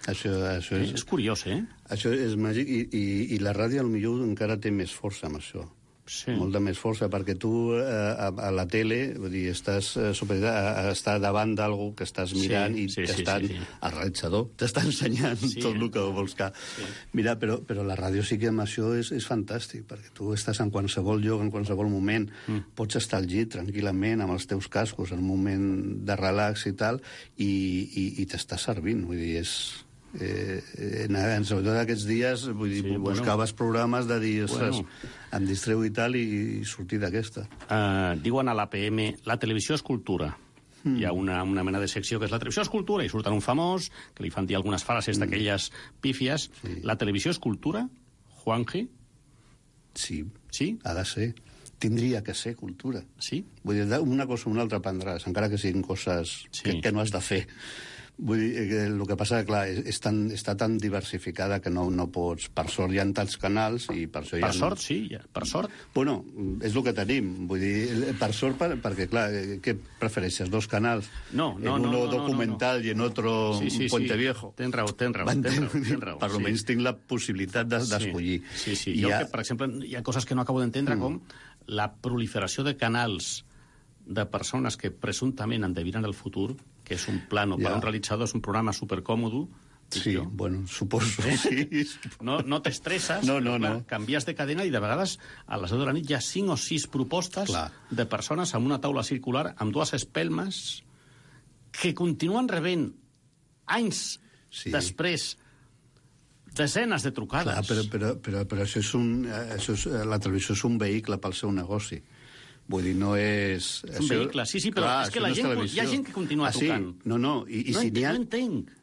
Això, això Eh? és... És curiós, eh? Això és màgic, i, i, i la ràdio potser encara té més força amb això. Sí. Molta més força, perquè tu eh, a, a la tele, vull dir, estàs eh, superior a, a estar davant d'algú que estàs mirant Sí, i sí, sí, t'estan, sí, sí. el realitzador t'està ensenyant Sí, tot eh? el que vols que... Sí. Mira, però, però la ràdio sí que amb això és, és fantàstic, perquè tu estàs en qualsevol lloc, en qualsevol moment, mm. pots estar al llit tranquil·lament amb els teus cascos en un moment de relax i tal, i, i, i t'està servint, vull dir, és... Eh, en, en, sobretot aquests dies, vull dir, Sí, bueno. buscaves programes de dir, ostres, Bueno. em distreu i tal, i, i sortir d'aquesta. Uh, diuen a l'A P M, la televisió és cultura. Mm. Hi ha una, una mena de secció que és la televisió és cultura, i surten un famós, que li fan dir algunes frases mm. d'aquelles pífies. Sí. La televisió és cultura, Juanji? Sí, Sí? ha de ser. Tindria que ser cultura. Sí? Vull dir, una cosa o una altra prendràs, encara que siguin coses Sí. que, que no has de fer. Vull dir, que el que passa, clar, és, és tan, està tan diversificada que no, no pots... Per sort hi ha tants canals i per això hi ha... Per sort, sí, ja, per sort. Bueno, és el que tenim. Vull dir, per sort, per, perquè, clar, eh, què prefereixes? Dos canals? No, no, en no, uno no, no, documental no, no. i en otro Sí, sí, Puente sí. Viejo. Tens raó, tens raó, tens raó, tens raó. Per sí. almenys tinc la possibilitat de- d'escollir. Sí, sí. I Jo, ha- que, per exemple, hi ha coses que no acabo d'entendre, mm. com la proliferació de canals de persones que presumptament endevinen el futur, que és un plano Ja. per a un realitzador, és un programa supercòmodo. Sí, jo. bueno, suposo, sí. No, no t'estresses, No, no, però, clar, no. canvies de cadena i de vegades a les deu de la nit hi ha cinc o sis propostes Clar. de persones amb una taula circular amb dues espelmes que continuen rebent anys Sí. després desenes de trucades. Clar, però, però, però, però això és un, eh, això és, eh, la televisió és un vehicle pel seu negoci. Vull dir, no és... És un vehicle, sí, sí, però és que això la no gent- televisió. hi ha gent que continua ah, sí? trucant. No, no, i, i no, si ent n'hi ha... no entenc.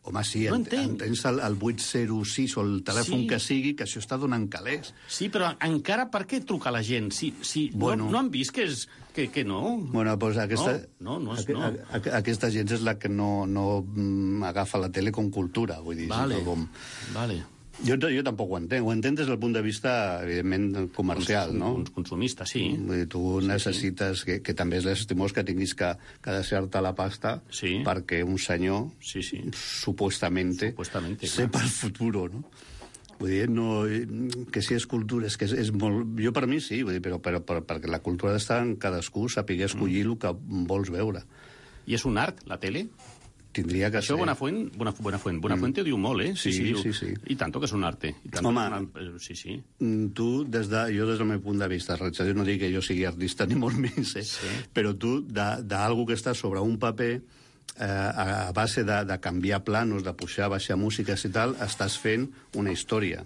Home, sí, No en, entenc. tens el, el vuit zero sis o el telèfon Sí. que sigui, que això està donant calés. Sí, però encara per què truca la gent? Si, si Bueno. no, no han vist que, és, que, que no? Bueno, doncs aquesta, No, no, no és aqu- no. aqu- aquesta gent és la que no, no mm, agafa la tele com cultura, vull dir. Vale, sinó com... vale. Jo, jo tampoc ho entenc. Ho entenc des del punt de vista, evidentment, comercial, Cons- no? cons- Consumista, sí. Vull dir, tu necessites, que, que també és l'estimós que tinguis que, que deixar-te la pasta Sí. perquè un senyor, Sí, sí. supuestamente, Supuestamente, sepa el futuro, no? Vull dir, no, que si és cultura, és que és, és molt... Jo per mi sí, vull dir, però, però, però perquè la cultura ha d'estar en cadascú, saber escollir mm. el que vols veure. I és un art, la tele? Tindria que Això ser. Buenafuent, Buenafuent, Buenafuente mm. ho diu molt, eh? Sí, sí, sí, sí. I tanto que és un arte. I tanto Home, una... sí, sí. Tu, des de, jo des del meu punt de vista, jo no dic que jo sigui artista ni molt menys, eh? Sí. Però tu, d'algú que està sobre un paper, eh, a base de, de canviar planos, de pujar, baixar músiques i tal, estàs fent una història.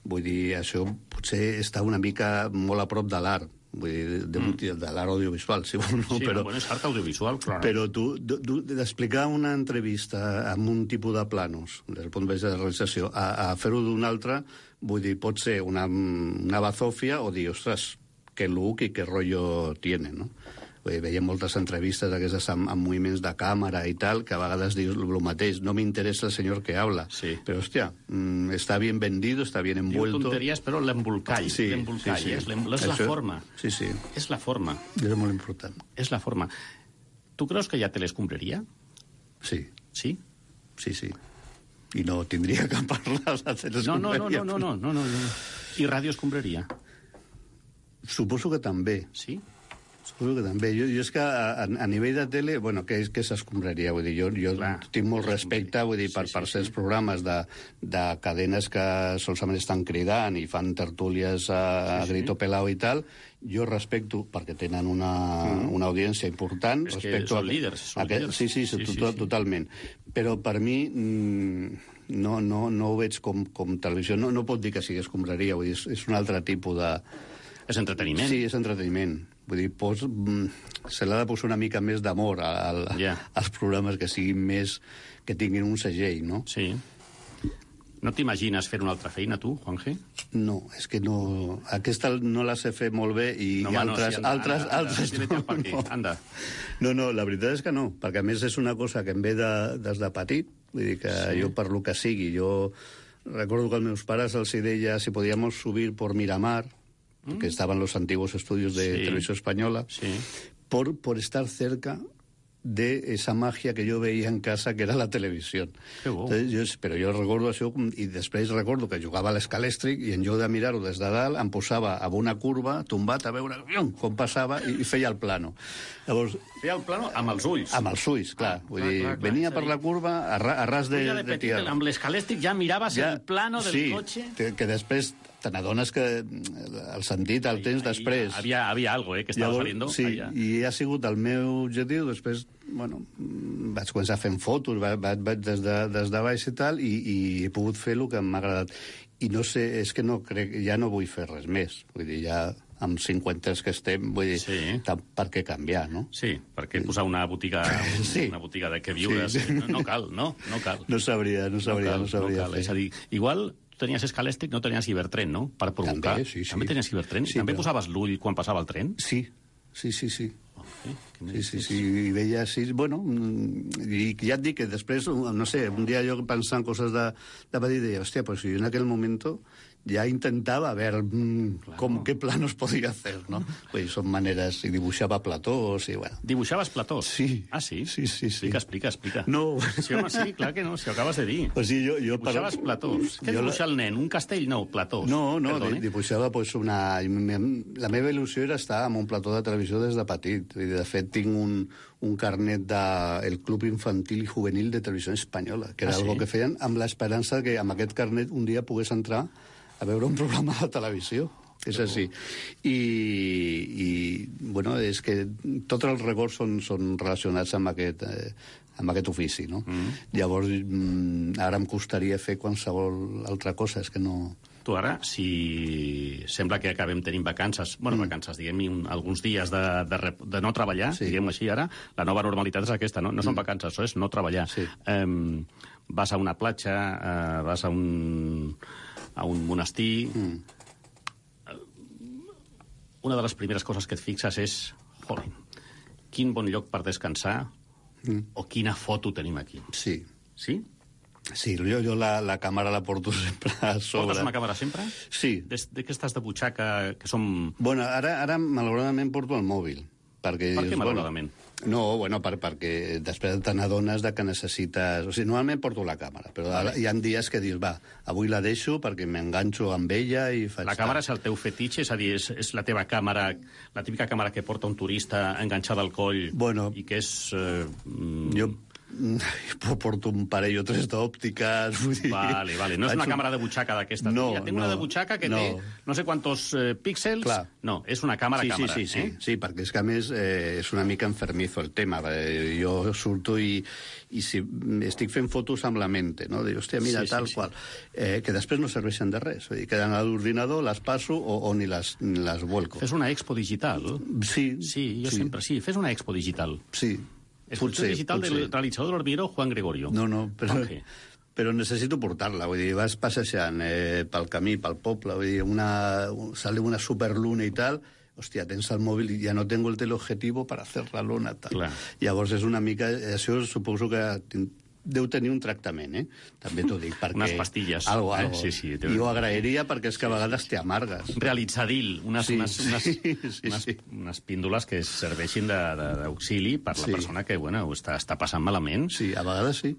Vull dir, això potser està una mica molt a prop de l'art. Vull dir, de, mm. de l'art audiovisual, si vol, no? Sí, però, bueno, és art audiovisual, clar. Però tu, tu d'explicar una entrevista amb un tipus de planos, des del punt de vista de realització, a, a fer-ho d'un altre, vull dir, pot ser una, una bazofia o dir, ostres, que look i que rotllo tiene, no? Vull dir, veiem moltes entrevistes d'aquestes amb, amb moviments de càmera i tal, que a vegades dius el mateix, no m'interessa el senyor que habla. Sí. Però, hòstia, mm, està bien vendido, està bien envuelto... Diu tonteries, però l'embolcall, sí, l'embolcall, sí, sí. és, és la Això, forma. Sí, sí. És la forma. És molt important. És la forma. Tu creus que ja te l'escombraria? Sí. Sí? Sí, sí. I no tindria que parlar de no, no, no, no, no, no, no, no. I ràdio escombraria? Suposo que també. Sí? Suposo que també. Jo, jo és que a, a nivell de tele, bueno, que és que s'escombraria, vull dir, jo, jo Clar, tinc molt respecte, vull dir, per, sí, sí, per certs sí. programes de, de cadenes que solament estan cridant i fan tertúlies a, sí, a grito sí. pelao i tal, jo respecto, perquè tenen una, mm. una audiència important. És respecto que són a, líders, són a, líders. Sí, sí, sí, sí, tot, sí, totalment. Però per mi mm, no, no, no ho veig com, com televisió. No, no pot dir que sigui escombraria, vull dir, és, és un altre tipus de... És entreteniment. Sí, és entreteniment. Vull dir, pos, se l'ha de posar una mica més d'amor al, yeah. als programes que siguin més... que tinguin un segell, no? Sí. No t'imagines fer una altra feina, tu, Juanje? No, és que no... Aquesta no la sé fer molt bé i, no, i altres... No, sí, anda, altres, anda, altres anda, no, no. Anda. no, no, la veritat és que no, perquè a més és una cosa que em ve de, des de petit, vull dir que sí. jo per lo que sigui, jo recordo que als meus pares els deia si podíamos subir por Miramar, que estaban los antiguos estudios de sí. Televisión Española, sí. por, por estar cerca de esa magia que jo veia en casa, que era la televisió. Entonces, jo, però jo recordo això, i després recordo que jugava a l'escalèstric i en lloc de mirar-ho des de dalt em posava a una curva, tombat, a veure com passava i, i feia el plano. Llavors, feia el plano amb els ulls? Amb els ulls, clar. Ah, Vull clar, dir, clar, clar, venia clar, per la curva a, ra, a ras de, de, de, de tierra. Amb l'escalèstric ja miraves ja, el plano del sí, cotxe? Sí, que després te n'adones que el sentit el tens ahí, després. Havia, havia algo, eh, que estava Llavors, saliendo. Sí, allà. I ha sigut el meu objectiu. Després, bueno, vaig començar fent fotos, vaig, vaig des, de, des de baix i tal, i, i he pogut fer el que m'ha agradat. I no sé, és que no crec, ja no vull fer res més. Vull dir, ja amb cinquanta que estem, vull dir, sí. per què canviar, no? Sí, perquè posar una botiga, sí. una botiga de què viure, sí. no, no cal, no? No cal. No sabria, no sabria, no, cal, no sabria. No cal. És a dir, igual tenies escalèstric, no tenies cibertren, no? Per provocar. També, sí, sí. També tenies cibertren? Sí, també però... posaves l'ull quan passava el tren? Sí, sí, sí, sí. Oh, sí, sí, sí, sí, i veia així, bueno, i ja et dic que després, no sé, un dia jo pensant coses de, de petit, deia, hòstia, pues si en aquell moment ja intentava veure mm, claro. com, què planos podia fer, no? Vull dir, són maneres... I dibuixava platós i, bueno... Dibuixaves platós? Sí. Ah, sí? Sí, sí, sí. Explica, explica, explica. No. Sí, home, sí, clar que no, si ho acabes de dir. O sigui, jo, jo dibuixaves per... platós. Què dibuixa la... el nen? Un castell? No, platós. No, no, Perdone. dibuixava pues, una... La meva il·lusió era estar en un plató de televisió des de petit. De fet, tinc un, un carnet del de... Club Infantil i Juvenil de Televisió Espanyola, que era ah, algo sí? que feien amb l'esperança que amb aquest carnet un dia pogués entrar a veure un programa de televisió. És així. I, i bueno, és que tots els records són, són relacionats amb aquest, eh, amb aquest ofici, no? Mm. Llavors, mm, ara em costaria fer qualsevol altra cosa, és que no... Tu ara, si sembla que acabem tenint vacances, bueno, mm. vacances, diguem, alguns dies de, de, de no treballar, sí. diguem així ara, la nova normalitat és aquesta, no? No són mm. vacances, això és no treballar. Sí. Um, vas a una platja, uh, vas a un... a un monestir... Mm. Una de les primeres coses que et fixes és, jolín, quin bon lloc per descansar mm. o quina foto tenim aquí. Sí. Sí? Sí, jo, jo la, la càmera la porto sempre a sobre. Portes una càmera sempre? Sí. Des de que estàs de butxaca, que som... Bueno, ara, ara malauradament porto el mòbil. Perquè, per què, bueno, malauradament? No, bueno, per, perquè després te n'adones de que necessites... O sigui, normalment porto la càmera, però vale. Hi ha dies que dius, va, avui la deixo perquè m'enganxo amb ella i faig... La càmera és el teu fetitxe? És a dir, és, és la teva càmera, la típica càmera que porta un turista enganxada al coll bueno, i que és... Eh, jo porto un parell o tres d'òptiques, vull dir... Vale, vale. No és una un... càmera de butxaca d'aquestes. No, Mira, tinc no, una de butxaca que no. té no sé quantos eh, píxels. Clar. No, és una càmera-càmera. Sí, sí, sí, eh? sí, sí, perquè és que a més eh, és una mica enfermizo el tema. Eh, jo surto i, i si estic fent fotos amb la mente, no? Dic, hòstia, mira, sí, tal sí, qual. Sí. Eh, que després no serveixen de res. Vull dir, queden a l'ordinador, les passo o, o ni, les, ni les vuelco. Fes una expo digital. Sí. Sí, jo sí. sempre... Sí, fes una expo digital. Sí. Exposició Potser, digital potser. del realitzador del hormiguero Juan Gregorio. No, no, però, Okay. però necessito portar-la. Vull dir, vas passejant eh, pel camí, pel poble, vull dir, una, sale una superluna i tal, hòstia, tens el mòbil i ja no tengo el teleobjetivo per hacer la luna. Tal. Clar. Llavors és una mica... Això suposo que deu tenir un tractament, eh? També t'ho dic, perquè... Unes pastilles. Algo, eh? algo. Sí, sí. I ho agrairia perquè és que a vegades te amargues. Realitzadil, unes, Sí, unes, unes, sí, sí, unes, sí. unes píndoles que serveixin de- de- d'auxili per la Sí. persona que, bueno, ho està, està passant malament, Sí, a vegades sí.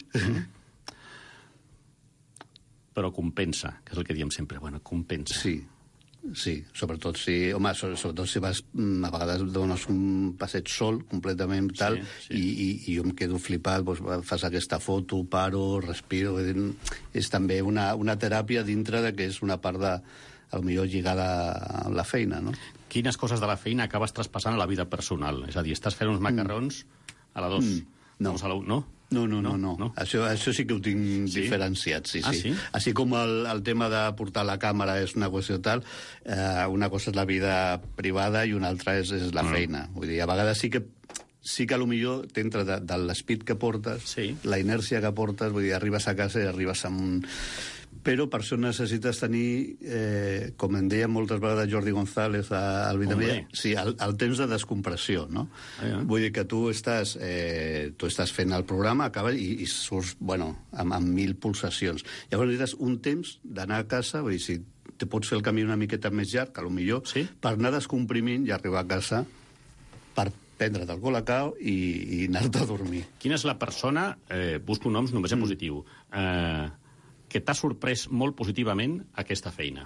però compensa, que és el que diem sempre. Bueno, compensa. Sí, sí, sobretot si... Home, so- sobretot si vas... mm, A vegades dones un passeig sol, completament tal, Sí, sí. I, i, i jo em quedo flipat, doncs, fas aquesta foto, paro, respiro... vull dir, És també una, una teràpia dintre de que és una part de... potser lligada a la feina, no? Quines coses de la feina acabes traspassant a la vida personal? És a dir, estàs fent uns macarrons a la dos. Mm, no. Doncs a la u, no? No, no, no, no. No, no. no. Això, això sí que ho tinc Sí? diferenciat, sí, Ah, sí. sí? Així com el, el tema de portar la càmera és una qüestió tal, eh, una cosa és la vida privada i una altra és, és la Mm. feina. Vull dir, a vegades sí que sí que potser t'entra de, de l'espit que portes, Sí. la inèrcia que portes, vull dir, arribes a casa i arribes amb un... Però per això necessites tenir, eh, com em deia moltes vegades Jordi González al Vitamilla, Hombre. sí, el, el temps de descompressió, no? Ah, ja. Vull dir que tu estàs, eh, tu estàs fent el programa, acabes i, i surts, bueno, amb, amb mil pulsacions. Llavors necessites un temps d'anar a casa, vull dir, si te pots fer el camí una miqueta més llarg, que potser, Sí? per anar descomprimint i arribar a casa per prendre't el colacao i, i anar-te a dormir. Quina és la persona, eh, busco noms només en positiu, eh, que t'ha sorprès molt positivament aquesta feina?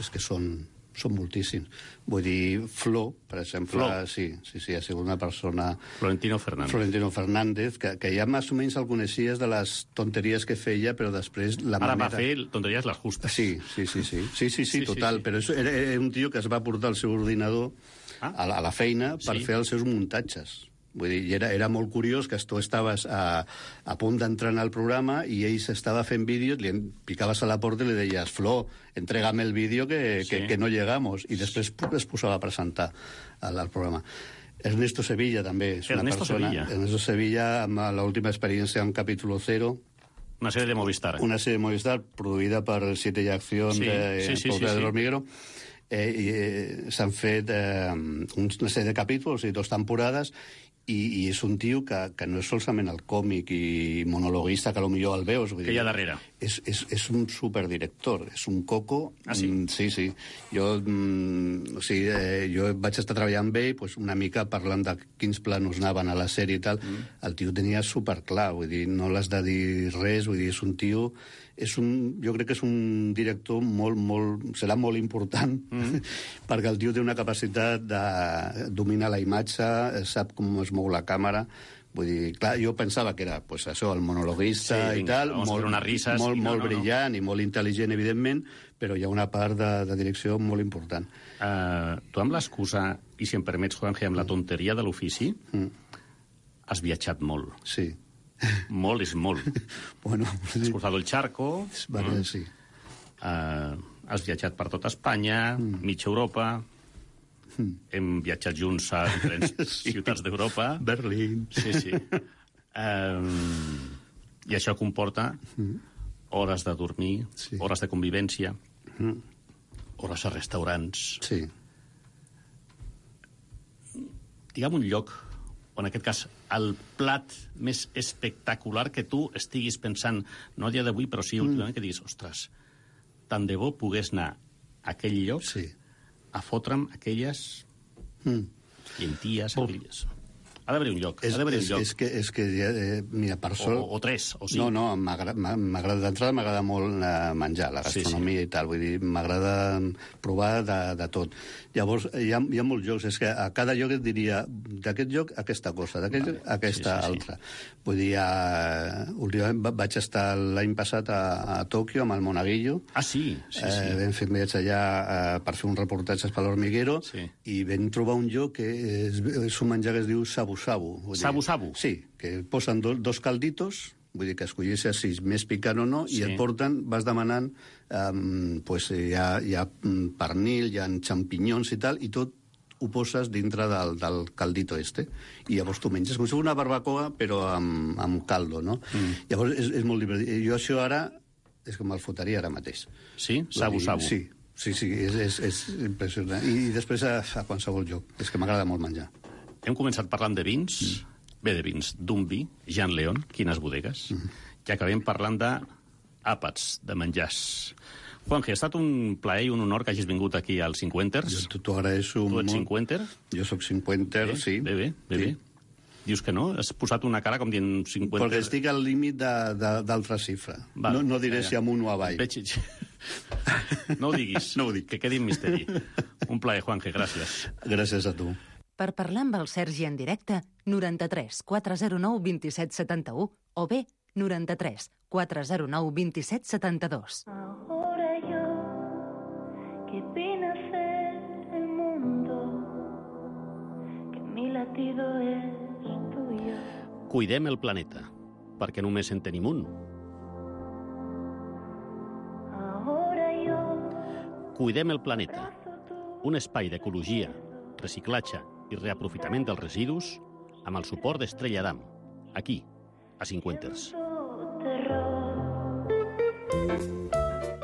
És que són, són moltíssims. Vull dir, Flo, per exemple, Flo. sí, sí, sí, ha sigut una persona... Florentino Fernández. Florentino Fernández, que, que ja més o menys el coneixies de les tonteries que feia, però després la Ara manera... va fer tonteries les justes. Sí, sí, sí, sí, sí, sí, sí, Sí, sí, total, sí. però és, era, era un tio que es va portar el seu ordinador Ah. a, la, a la feina per Sí. fer els seus muntatges. Vull dir, i era, era molt curiós que tu estaves a, a punt d'entrar en el programa i ell s'estava fent vídeos, li en- picaves a la porta i li deies, Flo, entrégame el vídeo que, Sí. que, que no llegamos. I després pu- es posava a presentar al, al programa. Ernesto Sevilla també és una Ernesto persona... Sevilla. Ernesto Sevilla, amb l'última experiència en Capítulo Cero, Una sèrie de Movistar. una serie de Movistar produïda per Siete y Acción Sí, de sí, sí, Poble sí, del sí. Hormiguero. Eh, i, eh, S'han fet eh, una sèrie de capítols i dues temporades i, i és un tio que, que no és solament el còmic i monologuista, que potser el veus. Vull Que hi ha dir, darrere. És, és, és un superdirector, és un coco... Ah, sí? Mm, sí, sí. Jo, mm, o sigui, eh, jo vaig estar treballant amb ell pues, una mica parlant de quins planos anaven a la sèrie i tal. Mm. El tio tenia superclar, vull dir, no l'has de dir res, vull dir, és un tio... És un, jo crec que és un director molt, molt... serà molt important, mm. perquè el tio té una capacitat de dominar la imatge, sap com es mou la càmera. Vull dir, clar, jo pensava que era pues, això, el monologuista Sí, i vinga, tal, vamos a molt, fer unes risses molt, i no, molt no, no. brillant i molt intel·ligent, evidentment, però hi ha una part de, de direcció molt important. Uh, tu amb l'excusa, i si em permets, Juanje, amb la tonteria de l'ofici, Mm. has viatjat molt. Sí. Molt és molt. Bueno, Has cruzado el charco, vale, sí. uh, has viatjat per tota Espanya, mm. mitja Europa, mm. hem viatjat junts a diferents Sí. ciutats d'Europa. Berlín. Sí, sí. Um, I això comporta hores de dormir, Sí. hores de convivència, hores a restaurants. Sí. Digue'm un lloc, o en aquest cas, el plat més espectacular que tu estiguis pensant, no a dia d'avui, però sí últimament, que diguis, ostres, tant de bo pogués anar a aquell lloc Sí. a fotre'm aquelles... Mm. Llenties, anguilles... Ha d'haver un lloc, és, ha d'haver un és, lloc. És que, és que eh, mira, per sort... O, o tres, o cinc. No, no, m'agrada d'entrada, m'agrada molt eh, menjar, la gastronomia sí, sí. i tal, vull dir, m'agrada provar de, de tot. Llavors, hi ha, hi ha molts llocs, és que a cada lloc et diria, d'aquest lloc, aquesta cosa, d'aquest vale. lloc, aquesta sí, sí, altra. Sí. Vull dir, uh, últimament vaig estar l'any passat a, a Tòquio amb el Monaguillo. Ah, sí? Sí, sí. Eh, vam fer un viatge allà uh, per fer un reportatge per l'Hormiguero sí. i vam trobar un lloc que és, és un menjar que es diu sabu sabu. Sabu-sabu? Sí, que posen do, dos calditos, vull dir que escollissis si és més picant o no, sí. i et porten, vas demanant, um, pues, hi, ha, hi ha pernil, hi ha xampinyons i tal, i tot ho poses dintre del, del caldito este. I llavors tu menges com si fos una barbacoa, però amb, amb caldo, no? Mm. Llavors és, és molt divertit. Jo això ara és que me'l fotria ara mateix. Sí? Sabu-sabu? Sí, sí, sí, és, és, és impressionant. I, i després a, a qualsevol lloc. És que m'agrada molt menjar. Hem començat parlant de vins, mm. bé de vins, d'un vi, Jean León, quines bodegues, mm. i acabem parlant d'àpats, de menjars. Juanje, ha estat un plaer i un honor que hagis vingut aquí als Cinquenters. Jo t'ho agraeixo molt. Tu ets cinquenter? Jo sóc cinquenter, bé, sí. Bé, bé, bé, sí. bé. Dius que no? Has posat una cara com dient cinquanta... Perquè estic al límit d'altra xifra. Va, no, no diré ja, ja. si amunt o avall. Veig... No ho diguis. No ho dic. Que quedi en misteri. Un plaer, Juanje, gràcies. Gràcies a tu. Per parlar amb el Sergi en directe, noranta-tres quatre zero nou vint set setanta-u o bé noranta-tres quatre zero nou vint set setanta-dos. Ahora yo que vine a ser el mundo, que mi latido es tuyo. Cuidem el planeta, perquè només en tenim un. Ahora yo Cuidem el planeta, un espai d'ecologia, reciclatge i reaprofitament dels residus amb el suport d'Estrella Damm, aquí, a Cinquenters.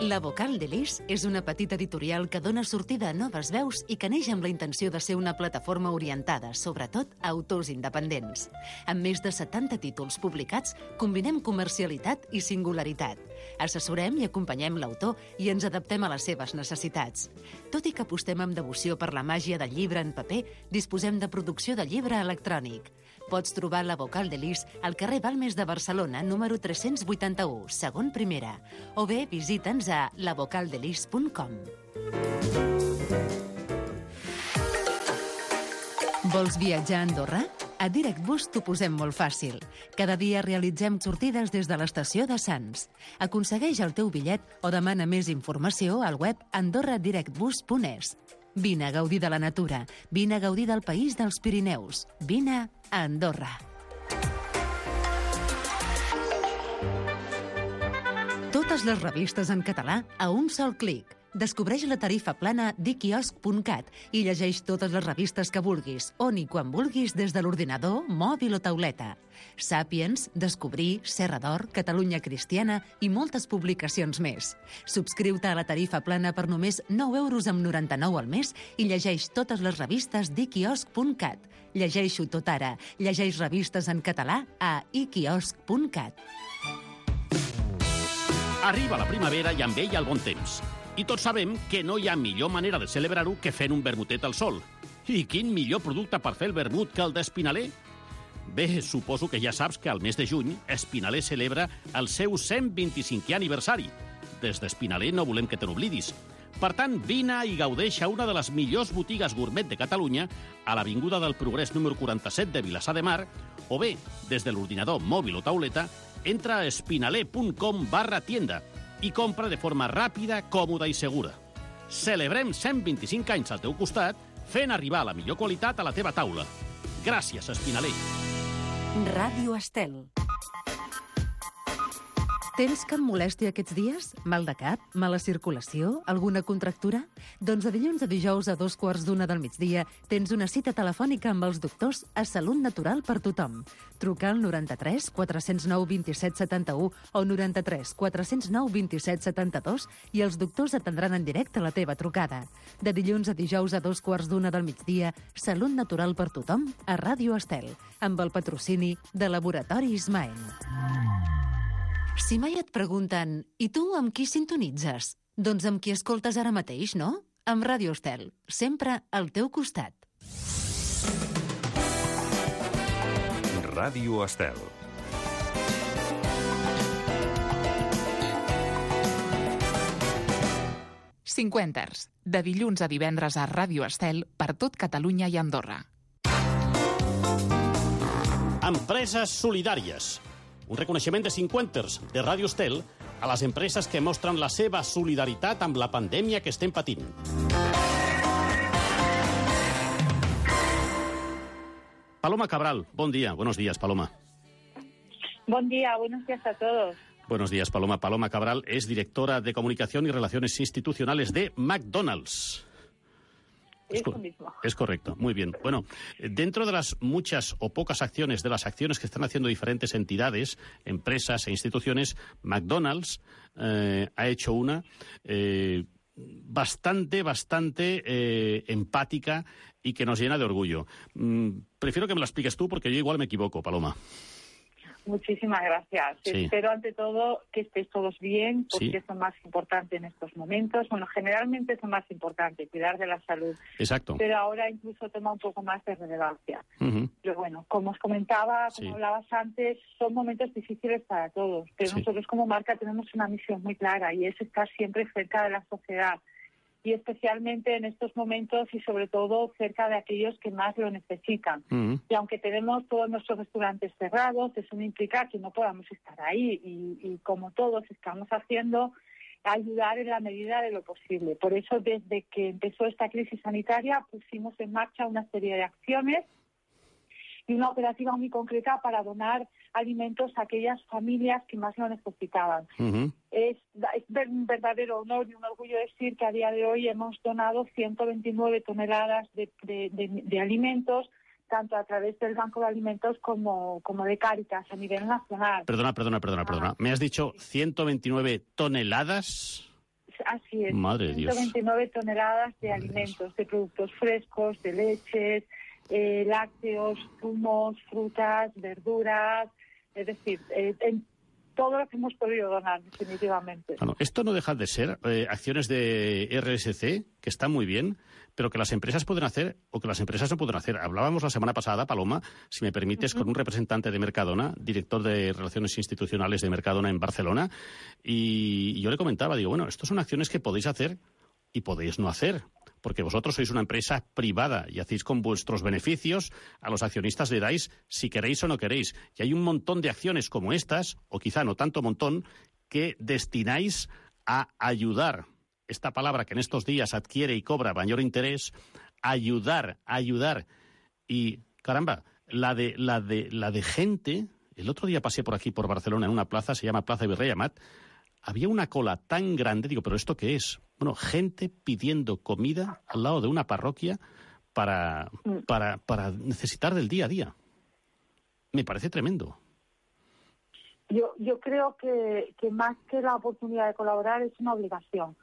La Vocal de Lis és una petita editorial que dona sortida a noves veus i que neix amb la intenció de ser una plataforma orientada, sobretot, a autors independents. Amb més de setanta títols publicats, combinem comercialitat i singularitat. Assessorem i acompanyem l'autor i ens adaptem a les seves necessitats. Tot i que apostem amb devoció per la màgia del llibre en paper, disposem de producció de llibre electrònic. Pots trobar la Vocal de Lis al carrer Balmes de Barcelona, número tres-cents vuitanta-u, segon primera, o bé visita'ns a la vocal de lis punt com. Vols viatjar a Andorra? A DirectBus t'ho posem molt fàcil. Cada dia realitzem sortides des de l'estació de Sants. Aconsegueix el teu bitllet o demana més informació al web andorra direct bus punt es. Vine a gaudir de la natura. Vine a gaudir del país dels Pirineus. Vine a Andorra. Totes les revistes en català a un sol clic. Descobreix la tarifa plana d'iquiosc punt cat i llegeix totes les revistes que vulguis, on i quan vulguis des de l'ordinador, mòbil o tauleta. Sàpiens, Descobrir, Serra d'Or, Catalunya Cristiana i moltes publicacions més. Subscriu-te a la tarifa plana per només nou euros amb noranta-nou al mes i llegeix totes les revistes d'iquiosc punt cat. Llegeixo tot ara. Llegeix revistes en català a iquiosc punt cat. Arriba la primavera i amb ella el bon temps. I tots sabem que no hi ha millor manera de celebrar-ho que fent un vermutet al sol. I quin millor producte per fer el vermut que el d'Espinaler? Bé, suposo que ja saps que al mes de juny Espinaler celebra el seu cent vint-i-cinquè aniversari. Des d'Espinaler no volem que te n'oblidis. Per tant, vine i gaudeix a una de les millors botigues gourmet de Catalunya a l'Avinguda del Progrés número quaranta-set de Vilassar de Mar o bé, des de l'ordinador mòbil o tauleta, entra a espinaler punt com barra tienda i compra de forma ràpida, còmoda i segura. Celebrem cent vint-i-cinc anys al teu costat, fent arribar la millor qualitat a la teva taula. Gràcies, Espinaler. Ràdio Estel. Tens cap molèstia aquests dies? Mal de cap? Mala circulació? Alguna contractura? Doncs de dilluns a dijous a dos quarts d'una del migdia tens una cita telefònica amb els doctors a Salut Natural per tothom. Truca al noranta-tres quatre zero nou vint set setanta-u o noranta-tres quatre zero nou vint set setanta-dos i els doctors atendran en directe la teva trucada. De dilluns a dijous a dos quarts d'una del migdia, Salut Natural per tothom a Ràdio Estel, amb el patrocini de Laboratori Ismael. Si mai et pregunten, i tu amb qui sintonitzes? Doncs amb qui escoltes ara mateix, no? Amb Ràdio Estel, sempre al teu costat. Ràdio Estel. Cinquenters, de dilluns a divendres a Ràdio Estel per tot Catalunya i Andorra. Empreses solidàries. Un reconeixement de cinquenters de Ràdio Estel a les empreses que mostren la seva solidaritat amb la pandèmia que estem patint. Paloma Cabral, bon dia. Buenos días, Paloma. Buen día, buenos días a todos. Buenos días, Paloma. Paloma Cabral es directora de Comunicación y Relaciones Institucionales de McDonald's. Es, Eso mismo. Es correcto, muy bien. Bueno, dentro de las muchas o pocas acciones, de las acciones que están haciendo diferentes entidades, empresas e instituciones, McDonald's eh, ha hecho una eh, bastante, bastante eh, empática y que nos llena de orgullo. Mm, prefiero que me la expliques tú porque yo igual me equivoco, Paloma. Muchísimas gracias. Sí. Espero ante todo que estéis todos bien, porque Sí. es lo más importante en estos momentos. Bueno, generalmente es lo más importante, cuidar de la salud. Exacto. Pero ahora incluso toma un poco más de relevancia. Uh-huh. Pero bueno, como os comentaba, como Sí. hablabas antes, son momentos difíciles para todos. Pero Sí. nosotros como marca tenemos una misión muy clara y es estar siempre cerca de la sociedad. Y especialmente en estos momentos y sobre todo cerca de aquellos que más lo necesitan. Uh-huh. Y aunque tenemos todos nuestros restaurantes cerrados, eso no implica que no podamos estar ahí y, y como todos estamos haciendo, ayudar en la medida de lo posible. Por eso desde que empezó esta crisis sanitaria pusimos en marcha una serie de acciones y una operativa muy concreta para donar alimentos a aquellas familias que más lo necesitaban. Uh-huh. Es, es un verdadero honor y un orgullo decir que a día de hoy hemos donado ciento veintinueve toneladas de, de, de, de alimentos, tanto a través del Banco de Alimentos como, como de Cáritas a nivel nacional. Perdona, perdona, perdona, perdona. ¿Me has dicho ciento veintinueve toneladas? Así es, Madre de Dios. ciento veintinueve toneladas de Madre alimentos, Dios. de productos frescos, de leches, eh, lácteos, zumos, frutas, verduras, es decir, eh, en todo lo que hemos podido donar, definitivamente. Bueno, esto no deja de ser eh, acciones de R S C, que están muy bien, pero que las empresas pueden hacer o que las empresas no pueden hacer. Hablábamos la semana pasada, Paloma, si me permites, uh-huh. con un representante de Mercadona, director de Relaciones Institucionales de Mercadona en Barcelona, y yo le comentaba, digo, bueno, estas son acciones que podéis hacer y podéis no hacer, porque vosotros sois una empresa privada y hacéis con vuestros beneficios, a los accionistas le dais si queréis o no queréis. Y hay un montón de acciones como estas, o quizá no tanto montón, que destináis a ayudar. Esta palabra que en estos días adquiere y cobra mayor interés, ayudar, ayudar. Y, caramba, la de, la de, la de gente... El otro día pasé por aquí, por Barcelona, en una plaza, se llama Plaza Virrey Amat. Había una cola tan grande, digo, ¿pero esto qué es? Bueno, gente pidiendo comida al lado de una parroquia para, para, para necesitar del día a día. Me parece tremendo. Yo, yo creo que, que más que la oportunidad de colaborar es una obligación.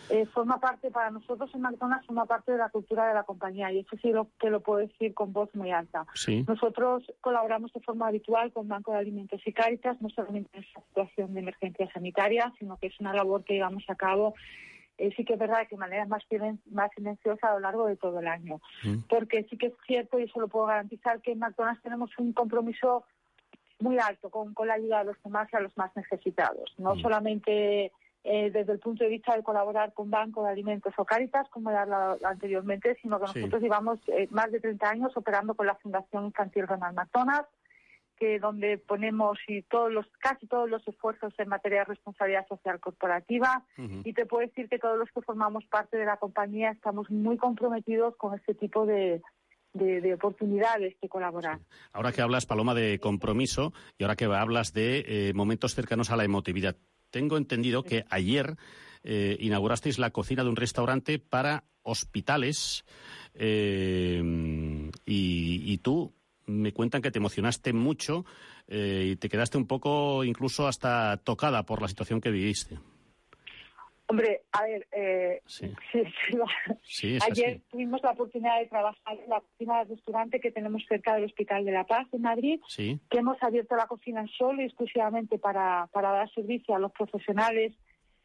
Eh, forma parte, para nosotros en McDonald's, forma parte de la cultura de la compañía y eso sí lo, que lo puedo decir con voz muy alta. Sí. Nosotros colaboramos de forma habitual con Banco de Alimentos y Cáritas, no solamente en esta situación de emergencia sanitaria, sino que es una labor que llevamos a cabo, eh, sí que es verdad que de manera más, más silenciosa a lo largo de todo el año. Mm. Porque sí que es cierto, y eso lo puedo garantizar, que en McDonald's tenemos un compromiso muy alto con, con la ayuda a los demás y a los más necesitados. No mm. solamente... Eh, desde el punto de vista de colaborar con Banco de Alimentos o Cáritas, como ya hablado anteriormente, sino que nosotros sí. llevamos eh, más de treinta años operando con la Fundación Infantil Ronald McDonald, que donde ponemos y todos los casi todos los esfuerzos en materia de responsabilidad social corporativa. Uh-huh. Y te puedo decir que todos los que formamos parte de la compañía estamos muy comprometidos con este tipo de... De, de oportunidades de colaborar. Sí. Ahora que hablas, Paloma, de compromiso y ahora que hablas de eh, momentos cercanos a la emotividad, tengo entendido que ayer eh, inaugurasteis la cocina de un restaurante para hospitales eh, y, y tú me cuentan que te emocionaste mucho eh, y te quedaste un poco incluso hasta tocada por la situación que viviste. Hombre, a ver, eh, sí. Sí, sí, sí, ayer así. tuvimos la oportunidad de trabajar en la cocina del restaurante que tenemos cerca del Hospital de la Paz en Madrid, sí. que hemos abierto la cocina solo y exclusivamente para, para dar servicio a los profesionales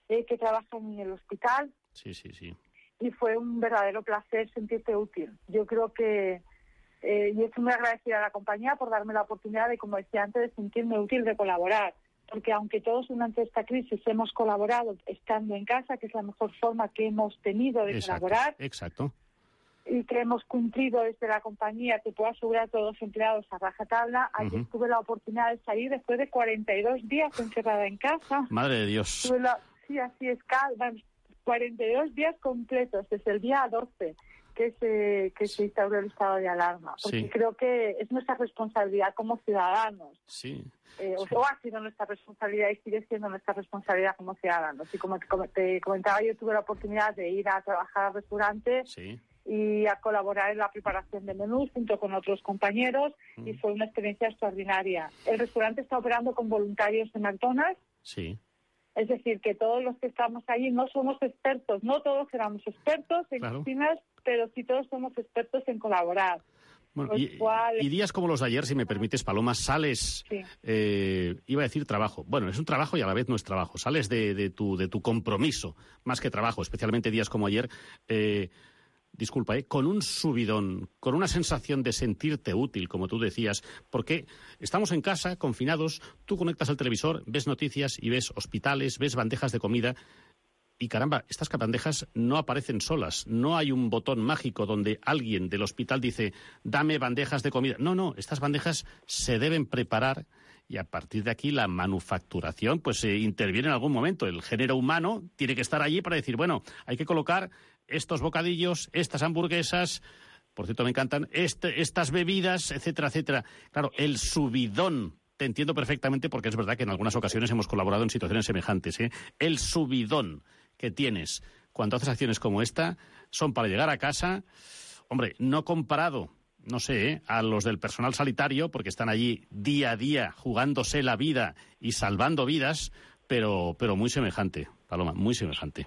eh, que trabajan en el hospital. Sí, sí, sí. Y fue un verdadero placer sentirte útil. Yo creo que Eh, y estoy muy agradecida a la compañía por darme la oportunidad de, como decía antes, de sentirme útil, de colaborar. Porque aunque todos durante esta crisis hemos colaborado estando en casa, que es la mejor forma que hemos tenido de exacto, colaborar, exacto. y que hemos cumplido desde la compañía, te puedo asegurar a todos los empleados a rajatabla, ayer Uh-huh. tuve la oportunidad de salir después de cuarenta y dos días encerrada en casa. Madre de Dios. Tuve la, sí, así es, cuarenta y dos días completos, desde el día doce que se, que se instauró el estado de alarma. Porque Sí. creo que es nuestra responsabilidad como ciudadanos. Sí. Eh, sí. O ha sido nuestra responsabilidad y sigue siendo nuestra responsabilidad como ciudadanos. Y como te, como te comentaba, yo tuve la oportunidad de ir a trabajar al restaurante Sí. y a colaborar en la preparación de menús junto con otros compañeros Mm. y fue una experiencia extraordinaria. El restaurante está operando con voluntarios de McDonald's, Sí. es decir, que todos los que estamos allí no somos expertos, no todos éramos expertos en Claro. cocinas, pero sí todos somos expertos en colaborar. Bueno, Lo y, cual- y días como los de ayer, si me permites, Paloma, sales, Sí. eh, iba a decir trabajo. Bueno, es un trabajo y a la vez no es trabajo. Sales de, de, tu, de tu compromiso, más que trabajo, especialmente días como ayer. Eh, disculpa, ¿eh? Con un subidón, con una sensación de sentirte útil, como tú decías, porque estamos en casa, confinados, tú conectas el televisor, ves noticias y ves hospitales, ves bandejas de comida. Y caramba, estas bandejas no aparecen solas. No hay un botón mágico donde alguien del hospital dice, dame bandejas de comida. No, no, estas bandejas se deben preparar y a partir de aquí la manufacturación pues eh, interviene en algún momento. El género humano tiene que estar allí para decir, bueno, hay que colocar estos bocadillos, estas hamburguesas, por cierto me encantan, este, estas bebidas, etcétera, etcétera. Claro, el subidón. Te entiendo perfectamente porque es verdad que en algunas ocasiones hemos colaborado en situaciones semejantes, ¿eh? El subidón que tienes cuando haces acciones como esta son para llegar a casa, hombre, no comparado, no sé, ¿eh? a los del personal sanitario, porque están allí día a día jugándose la vida y salvando vidas, pero, pero muy semejante, Paloma, muy semejante.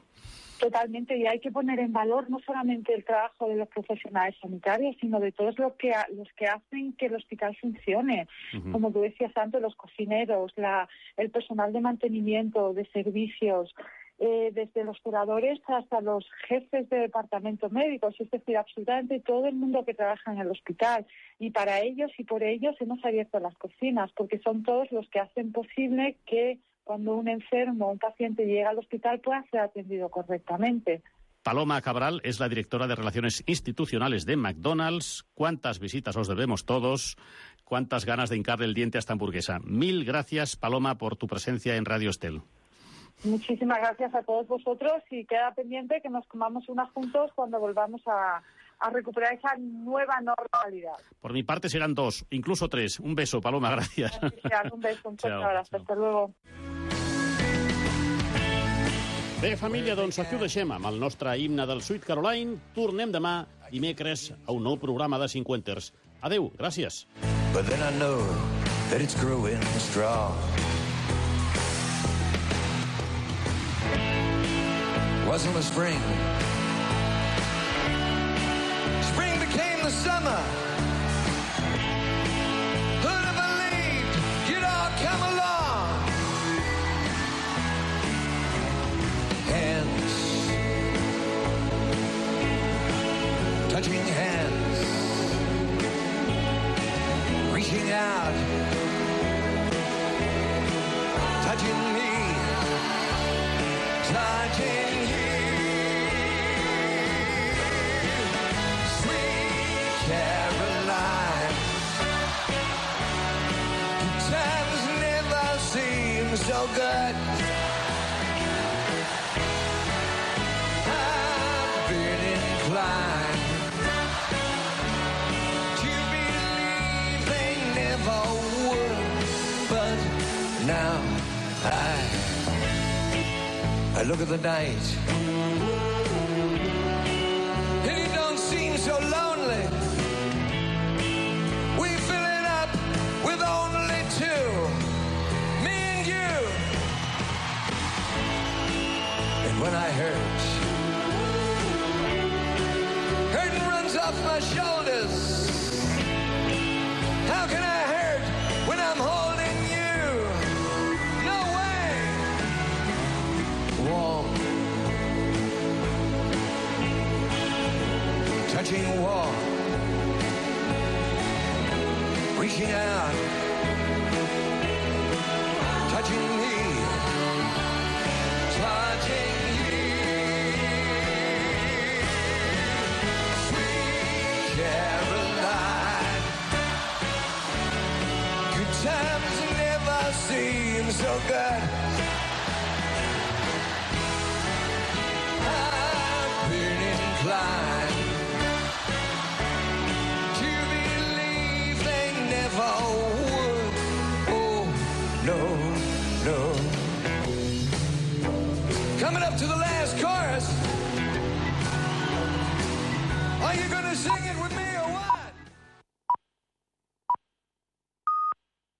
Totalmente, y hay que poner en valor no solamente el trabajo de los profesionales sanitarios, sino de todos los que los que hacen que el hospital funcione. Uh-huh. Como tú decías antes, los cocineros, la, el personal de mantenimiento, de servicios, eh, desde los curadores hasta los jefes de departamentos médicos, es decir, absolutamente todo el mundo que trabaja en el hospital. Y para ellos y por ellos hemos abierto las cocinas, porque son todos los que hacen posible que cuando un enfermo o un paciente llega al hospital pueda ser atendido correctamente. Paloma Cabral es la directora de Relaciones Institucionales de McDonald's. ¿Cuántas visitas os debemos todos? ¿Cuántas ganas de hincarle el diente a esta hamburguesa? Mil gracias, Paloma, por tu presencia en Radio Estel. Muchísimas gracias a todos vosotros y queda pendiente que nos comamos unas juntos cuando volvamos a, a recuperar esa nueva normalidad. Por mi parte serán dos, incluso tres. Un beso, Paloma, gracias. Gracias, un beso, un fuerte Chao, abrazo. chao. Hasta luego. Bé, família, doncs aquí ho deixem amb el nostre himne del Sweet Caroline. Tornem demà, dimecres, a un nou programa de Cinquenters. Adeu, gràcies. But then I know that it's growing strong. Wasn't the spring. Spring became the summer. Who'd have believed you'd all come along? Hands, touching hands, reaching out, touching me, touching you. Sweet Caroline, times never seem so good. I've been inclined to believe they never would, but now I I look at the night and it don't seem so lonely. We fill it up with only two, me and you. And when I hurt, hurting runs off my shoulders. How can I hurt when I'm holding you? No way. Warm, touching warm, reaching out, touching me, touching you. Sweet Caroline, good times never seem so good. I've been inclined to believe they never would. Oh, no, no. Coming up to the last chorus. Are you gonna sing it with me or what?